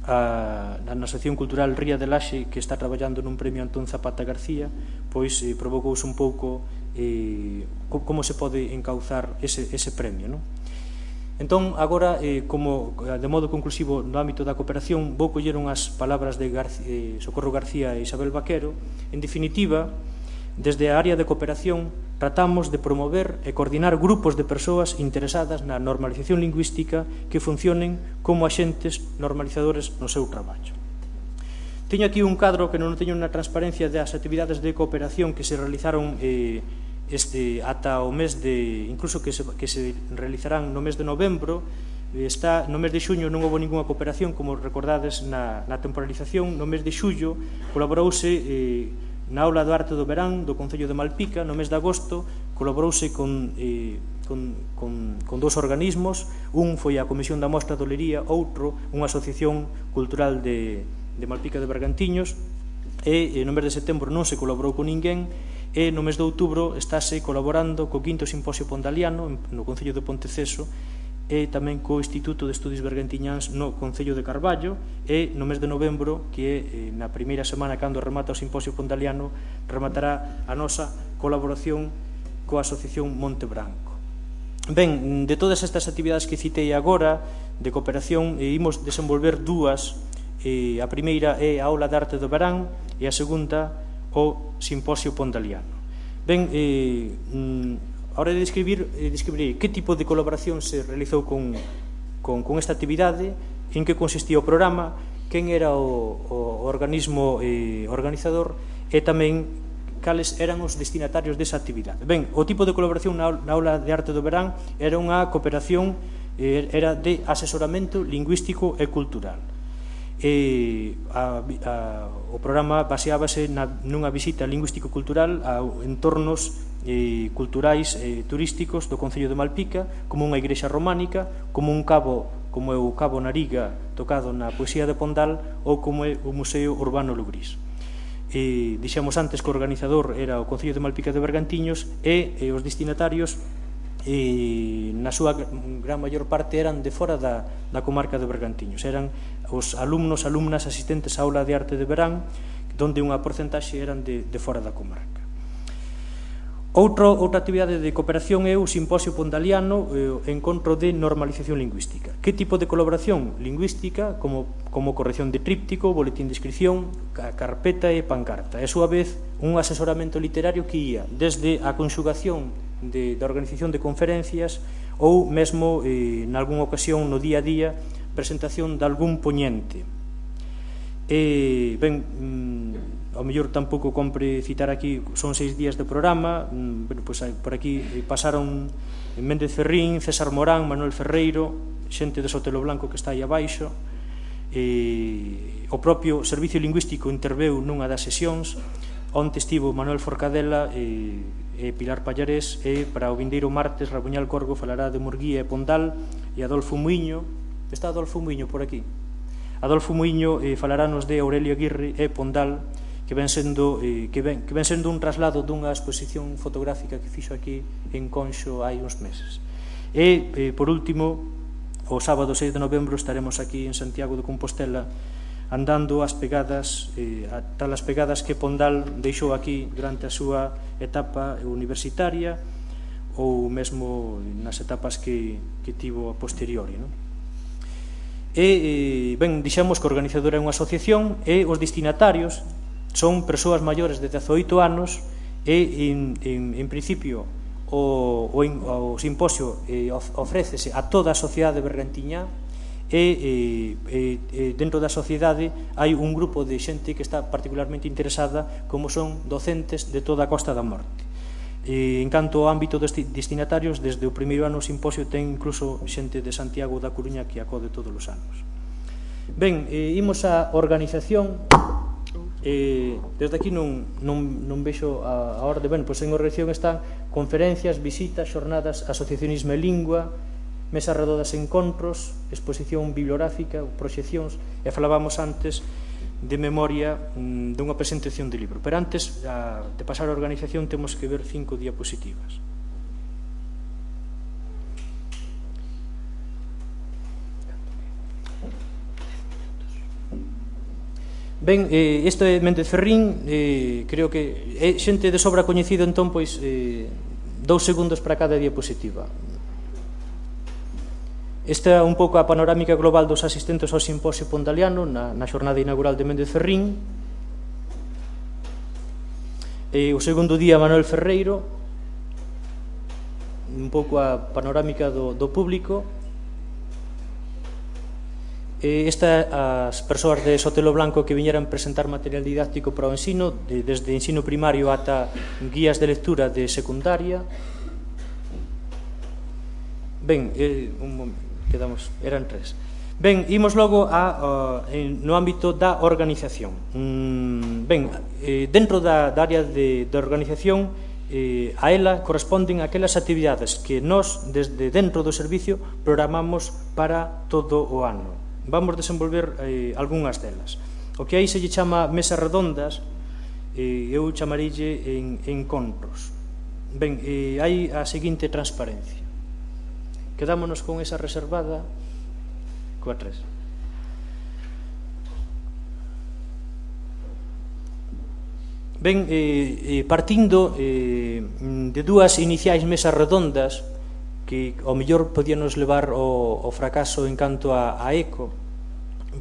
a, na Asociación Cultural Ría de Laxe, que está traballando nun premio Antón Zapata García, pois eh, provocouse un pouco eh, como se pode encauzar ese, ese premio, non? Entón, agora, eh, como de modo conclusivo no ámbito da cooperación, vou coller unhas palabras de García, eh, Socorro García e Isabel Vaquero. En definitiva, desde a área de cooperación tratamos de promover e coordinar grupos de persoas interesadas na normalización lingüística que funcionen como axentes normalizadores no seu traballo. Teño aquí un cadro que non teño na transparencia das actividades de cooperación que se realizaron eh, este, ata o mes de, incluso que se, que se realizarán no mes de novembro. Está, no mes de xuño non houve ninguna cooperación, como recordades na, na temporalización. No mes de xullo colaborouse eh, Na aula do Arte do Verán do Concello de Malpica, no mes de agosto, colaborouse con, eh, con, con, con dous organismos. Un foi a Comisión da Mostra de Olería, outro unha asociación cultural de, de Malpica de Bergantiños, e, e no mes de setembro non se colaborou con ninguén, e no mes de outubro estáse colaborando co quinto Simposio Pondaliano no Concello de Ponteceso, e tamén co Instituto de Estudios Bergantiñáns no Concello de Carballo, e no mes de novembro, que é na primeira semana cando remata o Simposio Pondaliano, rematará a nosa colaboración coa Asociación Monte Branco. Ben, de todas estas actividades que citei agora de cooperación, eh, imos desenvolver dúas. Eh, a primeira é a aula de Arte do Verán e a segunda o Simposio Pondaliano. Ben, eh, mm, a hora de describir, eh, describirei que tipo de colaboración se realizou con, con, con esta actividade, en que consistía o programa, quen era o, o organismo eh, organizador e tamén cales eran os destinatarios desa actividade. Ben, o tipo de colaboración na, na aula de Arte do Verán era unha cooperación, eh, era de asesoramento lingüístico e cultural. E a, a, o programa baseábase na, nunha visita lingüístico-cultural a entornos eh, culturais e eh, turísticos do Concello de Malpica, como unha igrexa románica, como un cabo, como é o Cabo Nariga tocado na poesía de Pondal, ou como é o Museo Urbano Lugrís. E dixemos antes que o organizador era o Concello de Malpica de Bergantiños, e, e os destinatarios e na súa gran maior parte eran de fora da, da comarca de Bergantiños, eran os alumnos, alumnas asistentes á aula de Arte de Verán, donde unha porcentaxe eran de, de fora da comarca. Outro, outra actividade de cooperación é o Simposio Pondaliano, o encontro de normalización lingüística. Que tipo de colaboración lingüística, como, como corrección de tríptico, boletín de inscripción, carpeta e pancarta. E, a súa vez, un asesoramento literario que ia desde a conxugación de, da organización de conferencias ou mesmo, eh, nalgúna ocasión, no día a día, presentación de algún poñente. E, ben, mm, ao mellor tampouco compre citar aquí, son seis días de programa, mm, bueno, pues, por aquí pasaron Méndez Ferrín, César Morán, Manuel Ferreiro, xente de Sotelo Blanco que está aí abaixo. E, o propio Servicio Lingüístico interveu nunha das sesións, onte estivo Manuel Forcadela e, e Pilar Pallarés, e para o vindeiro martes Rabuñal Corgo falará de Murguía e Pondal, e Adolfo Muiño, está Adolfo Muiño por aquí, Adolfo Muiño eh, falarános de Aurelio Aguirre e Pondal, que ven sendo eh, que, ven, que ven sendo un traslado dunha exposición fotográfica que fixo aquí en Conxo hai uns meses. E, eh, por último, o sábado seis de novembro estaremos aquí en Santiago de Compostela andando as pegadas, eh, a tal as pegadas que Pondal deixou aquí durante a súa etapa universitaria ou mesmo nas etapas que, que tivo a posteriori, non? E, ben, dixemos que o organizador é unha asociación e os destinatarios son persoas maiores de dezaoito anos e, en, en, en principio, o, o, o simposio eh, ofrécese a toda a sociedade bergantiñá e, e, e dentro da sociedade hai un grupo de xente que está particularmente interesada, como son docentes de toda a Costa da Morte. E, en canto ao ámbito dos destinatarios, desde o primeiro ano o simposio ten incluso xente de Santiago da Coruña que acode todos os anos. Ben, eh, imos á organización. Eh, desde aquí non, non, non vexo a, a orde. Ben, pois en organización están conferencias, visitas, xornadas, asociacionismo e lingua, mesas redodas, encontros, exposición bibliográfica, proxeccións, e falábamos antes de memoria mm, dunha presentación de libro. Pero antes a, de pasar á organización temos que ver cinco diapositivas. Ben, eh, isto é Méndez Ferrín, eh, creo que é xente de sobra coñecido, entón, pois, eh, dous segundos para cada diapositiva. Esta é un pouco a panorámica global dos asistentes ao simposio pondaliano na, na xornada inaugural de Méndez Ferrín. E o segundo día Manuel Ferreiro, un pouco a panorámica do, do público. E esta as persoas de Sotelo Blanco que viñeran presentar material didáctico para o ensino, de, desde ensino primario ata guías de lectura de secundaria. Ben, eh, un momento, quedamos, eran tres. Ben, imos logo a, uh, no ámbito da organización. Mm, ben, eh, dentro da, da área de, de organización, eh, a ela corresponden aquelas actividades que nós, desde dentro do servicio, programamos para todo o ano. Vamos desenvolver eh, algunhas delas. O que aí se lle chama mesas redondas, eh, eu chamarille en, encontros. Ben, eh, hai a seguinte transparencia. Quedámonos con esa reservada coa tres. Ben, eh, eh, partindo eh, de dúas iniciais mesas redondas que ao mellor podíanos levar ao, ao fracaso en canto a, a eco,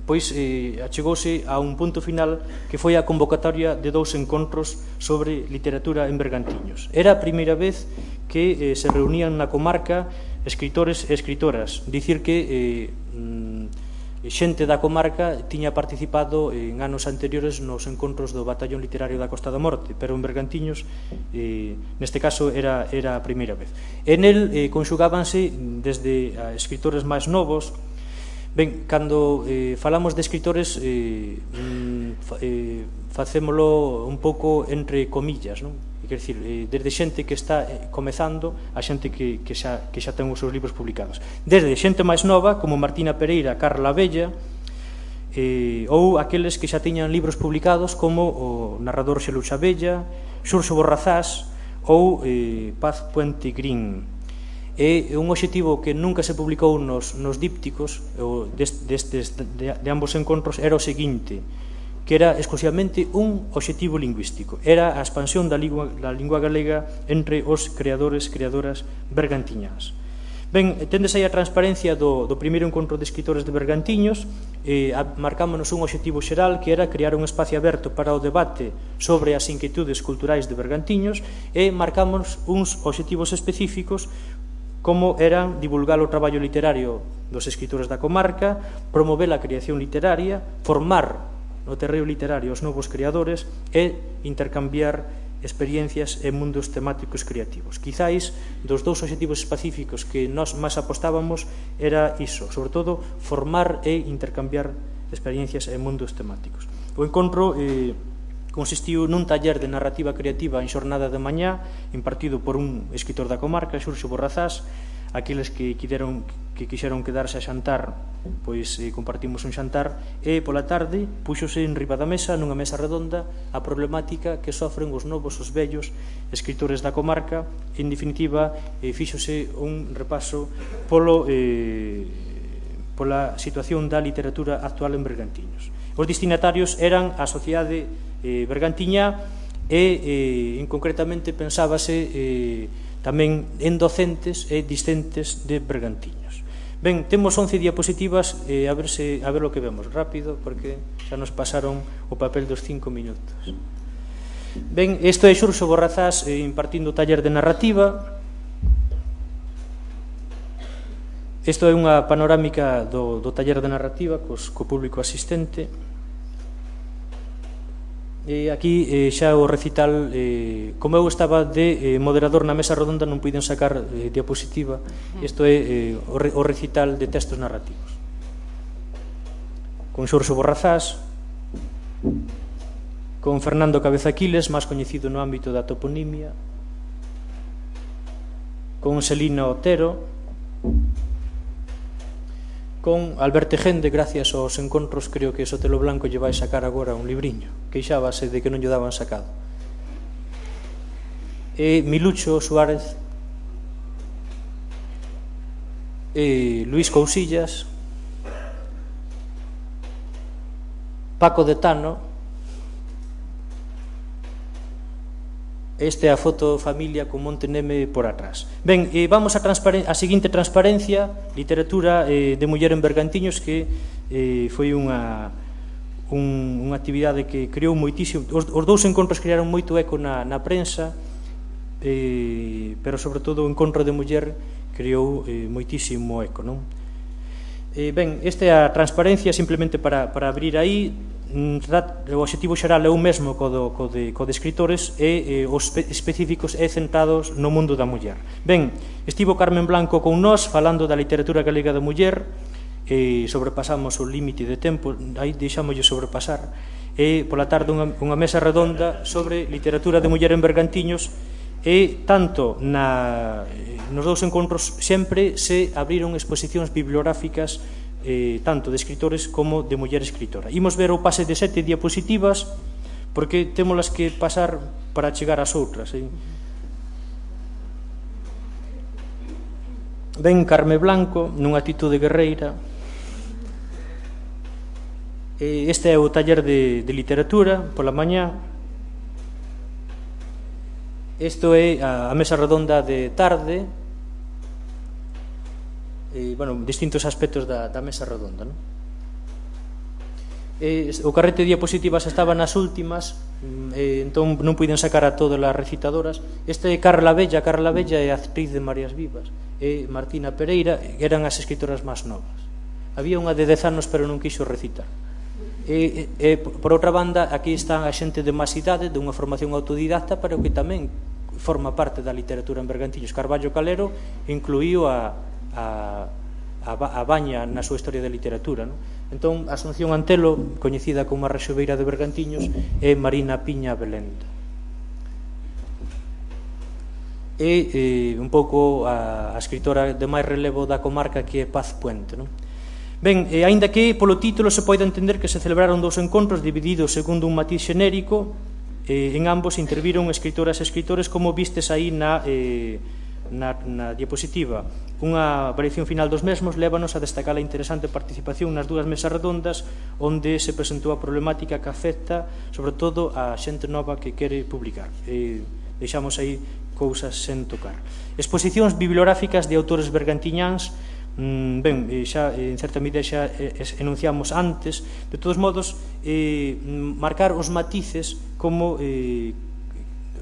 pois eh, achegouse a un punto final que foi a convocatoria de dous encontros sobre literatura en Bergantiños. Era a primeira vez que eh, se reunían na comarca escritores e escritoras, dicir que eh, xente da comarca tiña participado en anos anteriores nos encontros do Batallón Literario da Costa da Morte, pero en Bergantiños eh, neste caso era, era a primeira vez. En el eh, conxugábanse desde a escritores máis novos. Ben, cando eh, falamos de escritores eh, eh, facémolo un pouco entre comillas, non? Quer dicir, eh, desde xente que está eh, comezando a xente que, que, xa, que xa ten os seus libros publicados, desde xente máis nova como Martina Pereira, Carla Abella, eh, ou aqueles que xa tiñan libros publicados como o narrador Xeluxa Abella, Xurxo Borrazás ou eh, Paz Puente Green. É un obxectivo que nunca se publicou nos, nos dípticos destes, de, de ambos encontros, era o seguinte, que era exclusivamente un obxectivo lingüístico, era a expansión da lingua, da lingua galega entre os creadores, creadoras bergantiñas. Ben, tendes aí a transparencia do, do primeiro encontro de escritores de Bergantiños, eh, marcámonos un obxectivo xeral que era crear un espacio aberto para o debate sobre as inquietudes culturais de Bergantiños e marcámonos uns obxectivos específicos como eran divulgar o traballo literario dos escritores da comarca, promover a creación literaria, formar no terreo literario os novos creadores e intercambiar experiencias e mundos temáticos creativos. Quizáis, dos dous obxectivos específicos que nós máis apostábamos era iso, sobre todo, formar e intercambiar experiencias e mundos temáticos. O encontro eh, consistiu nun taller de narrativa creativa en xornada de mañá, impartido por un escritor da comarca, Xurxo Borrazás. Aqueles que quixeron, que quixeron quedarse a xantar, pois eh, compartimos un xantar, e pola tarde puxose en riba da mesa, nunha mesa redonda, a problemática que sofren os novos, os vellos escritores da comarca. En definitiva, eh, fíxose un repaso polo, eh, pola situación da literatura actual en Bergantiños. Os destinatarios eran a sociedade eh, bergantiña e, eh, en concretamente, pensábase eh, tamén en docentes e discentes de Bergantiños. Ben, temos once diapositivas, eh, a ver se a ver o que vemos rápido, porque xa nos pasaron o papel dos cinco minutos. Ben, isto é Xurxo Borrazás eh, impartindo taller de narrativa. Isto é unha panorámica do, do taller de narrativa cos, co público asistente. E aquí eh, xa o recital, eh, como eu estaba de eh, moderador na mesa redonda, non puiden sacar eh, diapositiva. Isto é eh, o, re, o recital de textos narrativos con Xurxo Borrazás, con Fernando Cabeza Quiles, máis coñecido no ámbito da toponimia, con Selina Otero, con Alberto Gende. Gracias aos encontros, creo que Sotelo Blanco lle vai sacar agora un libriño, queixábase de que non lle daban sacado. E Milucho Suárez, e Luís Cousillas, Paco de Tano. Esta é a foto familia con Monte Neme por atrás. Ben, eh, vamos a, a seguinte transparencia, literatura eh, de muller en Bergantiños, que eh, foi unha, un, unha actividade que creou moitísimo. Os, os dous encontros crearon moito eco na, na prensa, eh, pero sobre todo o encontro de muller creou eh, moitísimo eco, non? Eh, ben, esta é a transparencia, simplemente para, para abrir aí. O obxectivo xeral é o mesmo co, do, co, de, co de escritores e eh, os específicos e centrados no mundo da muller. Ben, estivo Carmen Blanco con nós falando da literatura galega da muller e sobrepasamos o límite de tempo, aí deixámoslle sobrepasar, e pola tarde unha, unha mesa redonda sobre literatura de muller en Bergantiños, e tanto na, nos dous encontros sempre se abriron exposicións bibliográficas eh, tanto de escritores como de muller escritora. Imos ver o pase de sete diapositivas porque témolas que pasar para chegar ás outras. Eh? Ven Carme Blanco nunha atitude guerreira. Este é o taller de, de literatura pola mañá. Isto é a, a mesa redonda de tarde, e, bueno, distintos aspectos da, da mesa redonda, non? E, o carrete de diapositivas estaba nas últimas, e, entón non puiden sacar a todas as recitadoras. Este é Carla Bella, Carla Bella é a actriz de Marías Vivas, e Martina Pereira eran as escritoras máis novas. Había unha de dez anos pero non quixo recitar. E, e, por outra banda, aquí está a xente de máis idade, dunha formación autodidacta, pero que tamén forma parte da literatura en Bergantiños. Carballo Calero incluíu a, a, a Baña na súa historia de literatura, non? Entón, Asunción Antelo, coñecida como a Rexoveira de Bergantiños, e Marina Piña Belenda. E eh, un pouco a, a escritora de máis relevo da comarca, que é Paz Puente, non? Ben, e aínda que polo título se pode entender que se celebraron dous encontros divididos segundo un matiz xenérico, eh, en ambos interviron escritoras e escritores, como vistes aí na, eh, na, na diapositiva. Unha variación final dos mesmos lévanos a destacar a interesante participación nas dúas mesas redondas, onde se presentou a problemática que afecta sobre todo a xente nova que quere publicar. Eh, deixamos aí cousas sen tocar. Exposicións bibliográficas de autores bergantiñáns. Ben, xa en certa medida xa enunciamos antes. De todos modos, eh, marcar os matices como eh,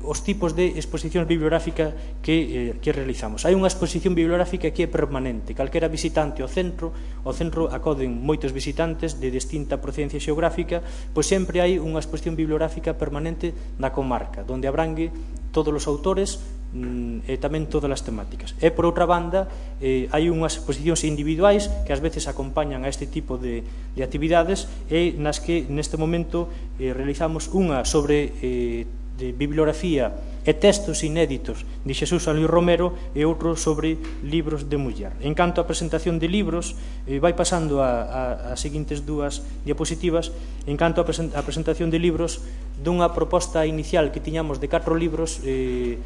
os tipos de exposicións bibliográficas que, eh, que realizamos. Hai unha exposición bibliográfica que é permanente. Calquera visitante ao centro, ao centro acoden moitos visitantes de distinta procedencia xeográfica, pois sempre hai unha exposición bibliográfica permanente na comarca, onde abrangue todos os autores e tamén todas as temáticas. E, por outra banda, eh, hai unhas exposicións individuais que ás veces acompañan a este tipo de, de actividades, e nas que neste momento eh, realizamos unha sobre eh, de bibliografía e textos inéditos de Xesús San Luis Romero, e outro sobre libros de muller. En canto á presentación de libros, eh, vai pasando a, a, as seguintes dúas diapositivas. En canto á present, presentación de libros, dunha proposta inicial que tiñamos de catro libros, eh,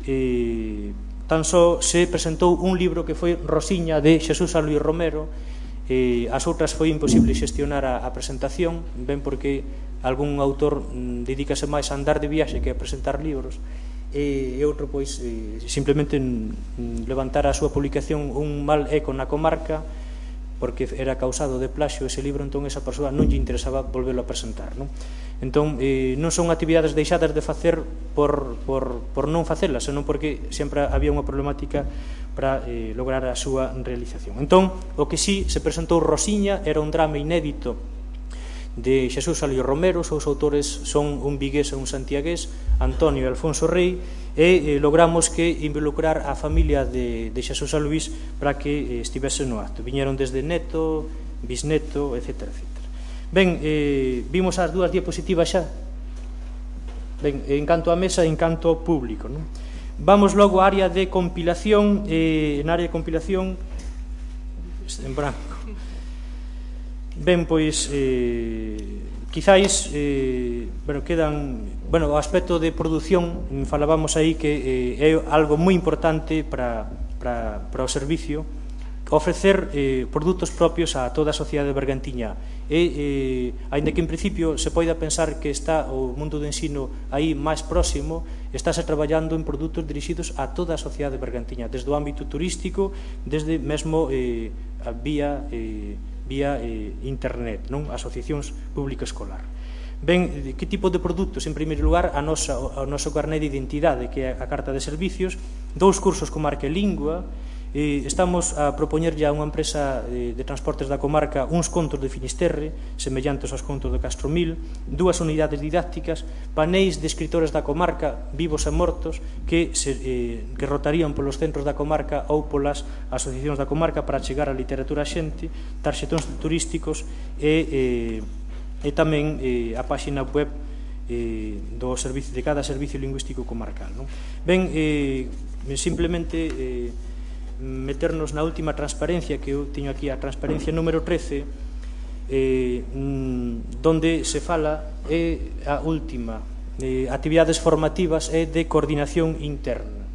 Eh, tan só se presentou un libro que foi Rosiña de Xesús San Luis Romero. Eh, as outras foi imposible xestionar a, a presentación, ben porque algún autor mm, dedícase máis a andar de viaxe que a presentar libros, e, e outro pois eh, simplemente mm, levantar a súa publicación un mal eco na comarca porque era causado de plaxio ese libro, entón esa persoa non lle interesaba volverlo a presentar, non? Entón, eh, non son actividades deixadas de facer por, por, por non facelas, senón porque sempre había unha problemática para eh, lograr a súa realización. Entón, o que sí se presentou Rosiña era un drama inédito de Xesús San Luis Romero. Os seus autores son un vigués e un santiagués, Antonio e Alfonso Rei, e eh, logramos que involucrar a familia de, de Xesús San Luis para que eh, estivese no acto. Viñeron desde neto, bisneto, etcétera, etcétera. Ben, eh, vimos as dúas diapositivas xa. Ben, en canto a mesa, en canto ao público, non? Vamos logo á área de compilación. Eh, na área de compilación en branco. Ben, pois eh, quizáis eh, bueno, quedan, bueno, o aspecto de produción, falábamos aí que eh, é algo moi importante para, para, para o servicio, ofrecer eh, produtos propios a toda a sociedade bergantiñá. E, eh, ainda que en principio se poida pensar que está o mundo do ensino aí máis próximo, estáse traballando en produtos dirixidos a toda a sociedade bergantiñá, desde o ámbito turístico, desde mesmo eh, a vía, eh, vía eh, internet, non? Asociacións público-escolar. Ben, que tipo de produtos? En primeiro lugar, a nosa, o noso carné de identidade, que é a carta de servicios, dous cursos con marca e lingua, Eh, estamos a propoñerlle a unha empresa eh, de transportes da comarca uns contos de Finisterre, semellantes aos contos de Castromil, dúas unidades didácticas, paneis de escritores da comarca, vivos e mortos, que, se, eh, que rotarían polos centros da comarca ou polas asociacións da comarca para chegar a literatura a xente, tarxetóns turísticos e, eh, e tamén eh, a páxina web eh, do servicio, de cada servicio lingüístico comarcal. Non? Ben, eh, simplemente... Eh, meternos na última transparencia que eu teño aquí, a transparencia número trece, eh, donde se fala é a última, eh, actividades formativas e de coordinación interna.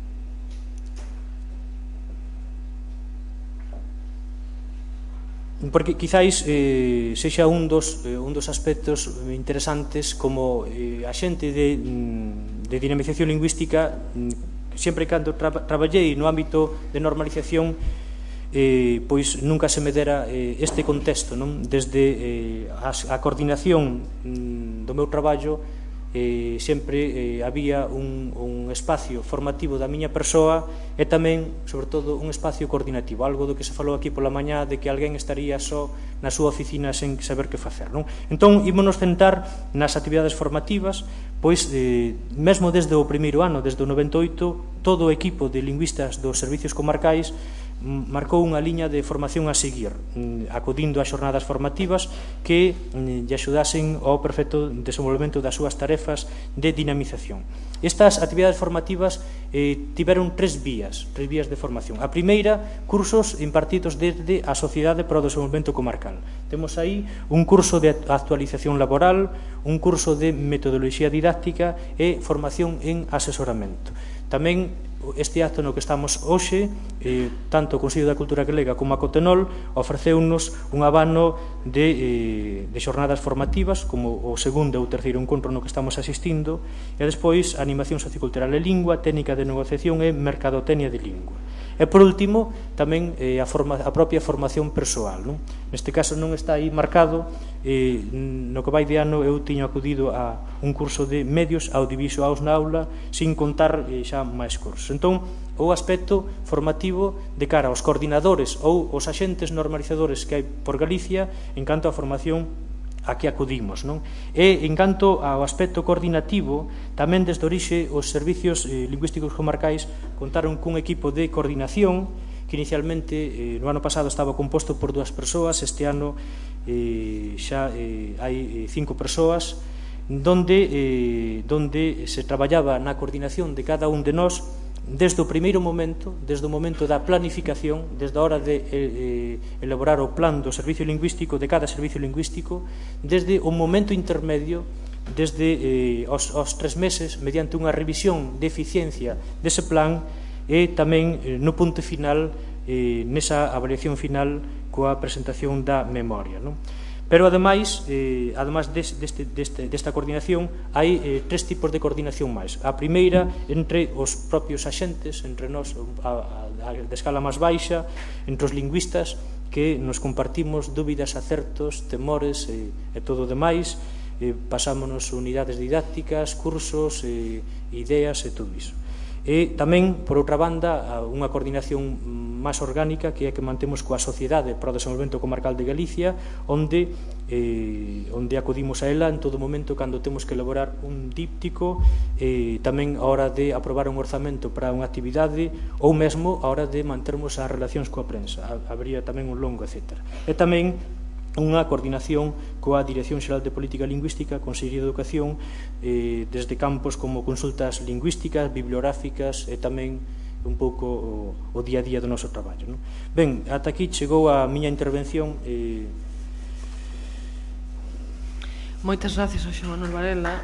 Porque quizáis eh, sexa un dos, eh, un dos aspectos interesantes como eh, a xente de, de dinamización lingüística. Sempre cando tra traballei no ámbito de normalización, eh, pois nunca se me dera eh, este contexto, non? Desde eh, a, a coordinación mm, do meu traballo, eh, sempre eh, había un, un espacio formativo da miña persoa e tamén, sobre todo, un espacio coordinativo, algo do que se falou aquí pola mañá, de que alguén estaría só na súa oficina sen saber que facer, non? Entón, ímonos centrar nas actividades formativas, pois, eh, mesmo desde o primeiro ano, desde o noventa e oito, todo o equipo de lingüistas dos servicios comarcais marcou unha liña de formación a seguir, acudindo a xornadas formativas que lle axudasen ao perfecto desenvolvemento das súas tarefas de dinamización. Estas actividades formativas eh, tiveron tres vías, tres vías de formación. A primeira, cursos impartidos desde a Sociedade para o Desenvolvemento Comarcal. Temos aí un curso de actualización laboral, un curso de metodoloxía didáctica e formación en asesoramento. Tamén este acto no que estamos hoxe, eh, tanto o Consello da Cultura Galega como a Cotenol, ofreceunos un abano de, eh, de xornadas formativas, como o segundo ou terceiro encontro no que estamos asistindo, e despois animación sociocultural e lingua, técnica de negociación e mercadotecnia de lingua. E, por último, tamén eh, a, forma, a propia formación persoal. Non? Neste caso non está aí marcado, eh, no que vai de ano eu tiño acudido a un curso de medios audiovisuais na aula, sin contar eh, xa máis cursos. Entón, o aspecto formativo de cara aos coordinadores ou os axentes normalizadores que hai por Galicia en canto á formación a que acudimos, non? E en canto ao aspecto coordinativo, tamén desde orixe os servicios eh, lingüísticos comarcais contaron cun equipo de coordinación que inicialmente eh, no ano pasado estaba composto por dúas persoas, este ano eh, xa eh, hai cinco persoas, donde, eh, donde se traballaba na coordinación de cada un de nós desde o primeiro momento, desde o momento da planificación, desde a hora de eh, elaborar o plan do servicio lingüístico, de cada servicio lingüístico, desde o momento intermedio, desde eh, os, os tres meses, mediante unha revisión de eficiencia dese plan, e tamén eh, no punto final, eh, nesa avaliación final coa presentación da memoria, non? Pero, ademais, eh, ademais deste, deste, desta coordinación, hai eh, tres tipos de coordinación máis. A primeira, entre os propios axentes, entre nós, a, a, a de escala máis baixa, entre os lingüistas, que nos compartimos dúbidas, acertos, temores e, e todo o demais, eh, pasámonos unidades didácticas, cursos, eh, ideas e todo iso. E tamén, por outra banda, unha coordinación máis orgánica que é que mantemos coa Sociedade para o Desenvolvemento Comarcal de Galicia, onde, eh, onde acudimos a ela en todo momento cando temos que elaborar un díptico, eh, tamén a hora de aprobar un orzamento para unha actividade ou mesmo a hora de mantermos as relacións coa prensa. Habría tamén un longo, etcétera. E tamén unha coordinación coa Dirección Xeral de Política Lingüística, Consellería de Educación, eh, desde campos como consultas lingüísticas, bibliográficas e tamén un pouco o, o día a día do noso traballo. Non? Ben, ata aquí chegou a miña intervención. Eh... Moitas gracias ao Xan Manuel Varela.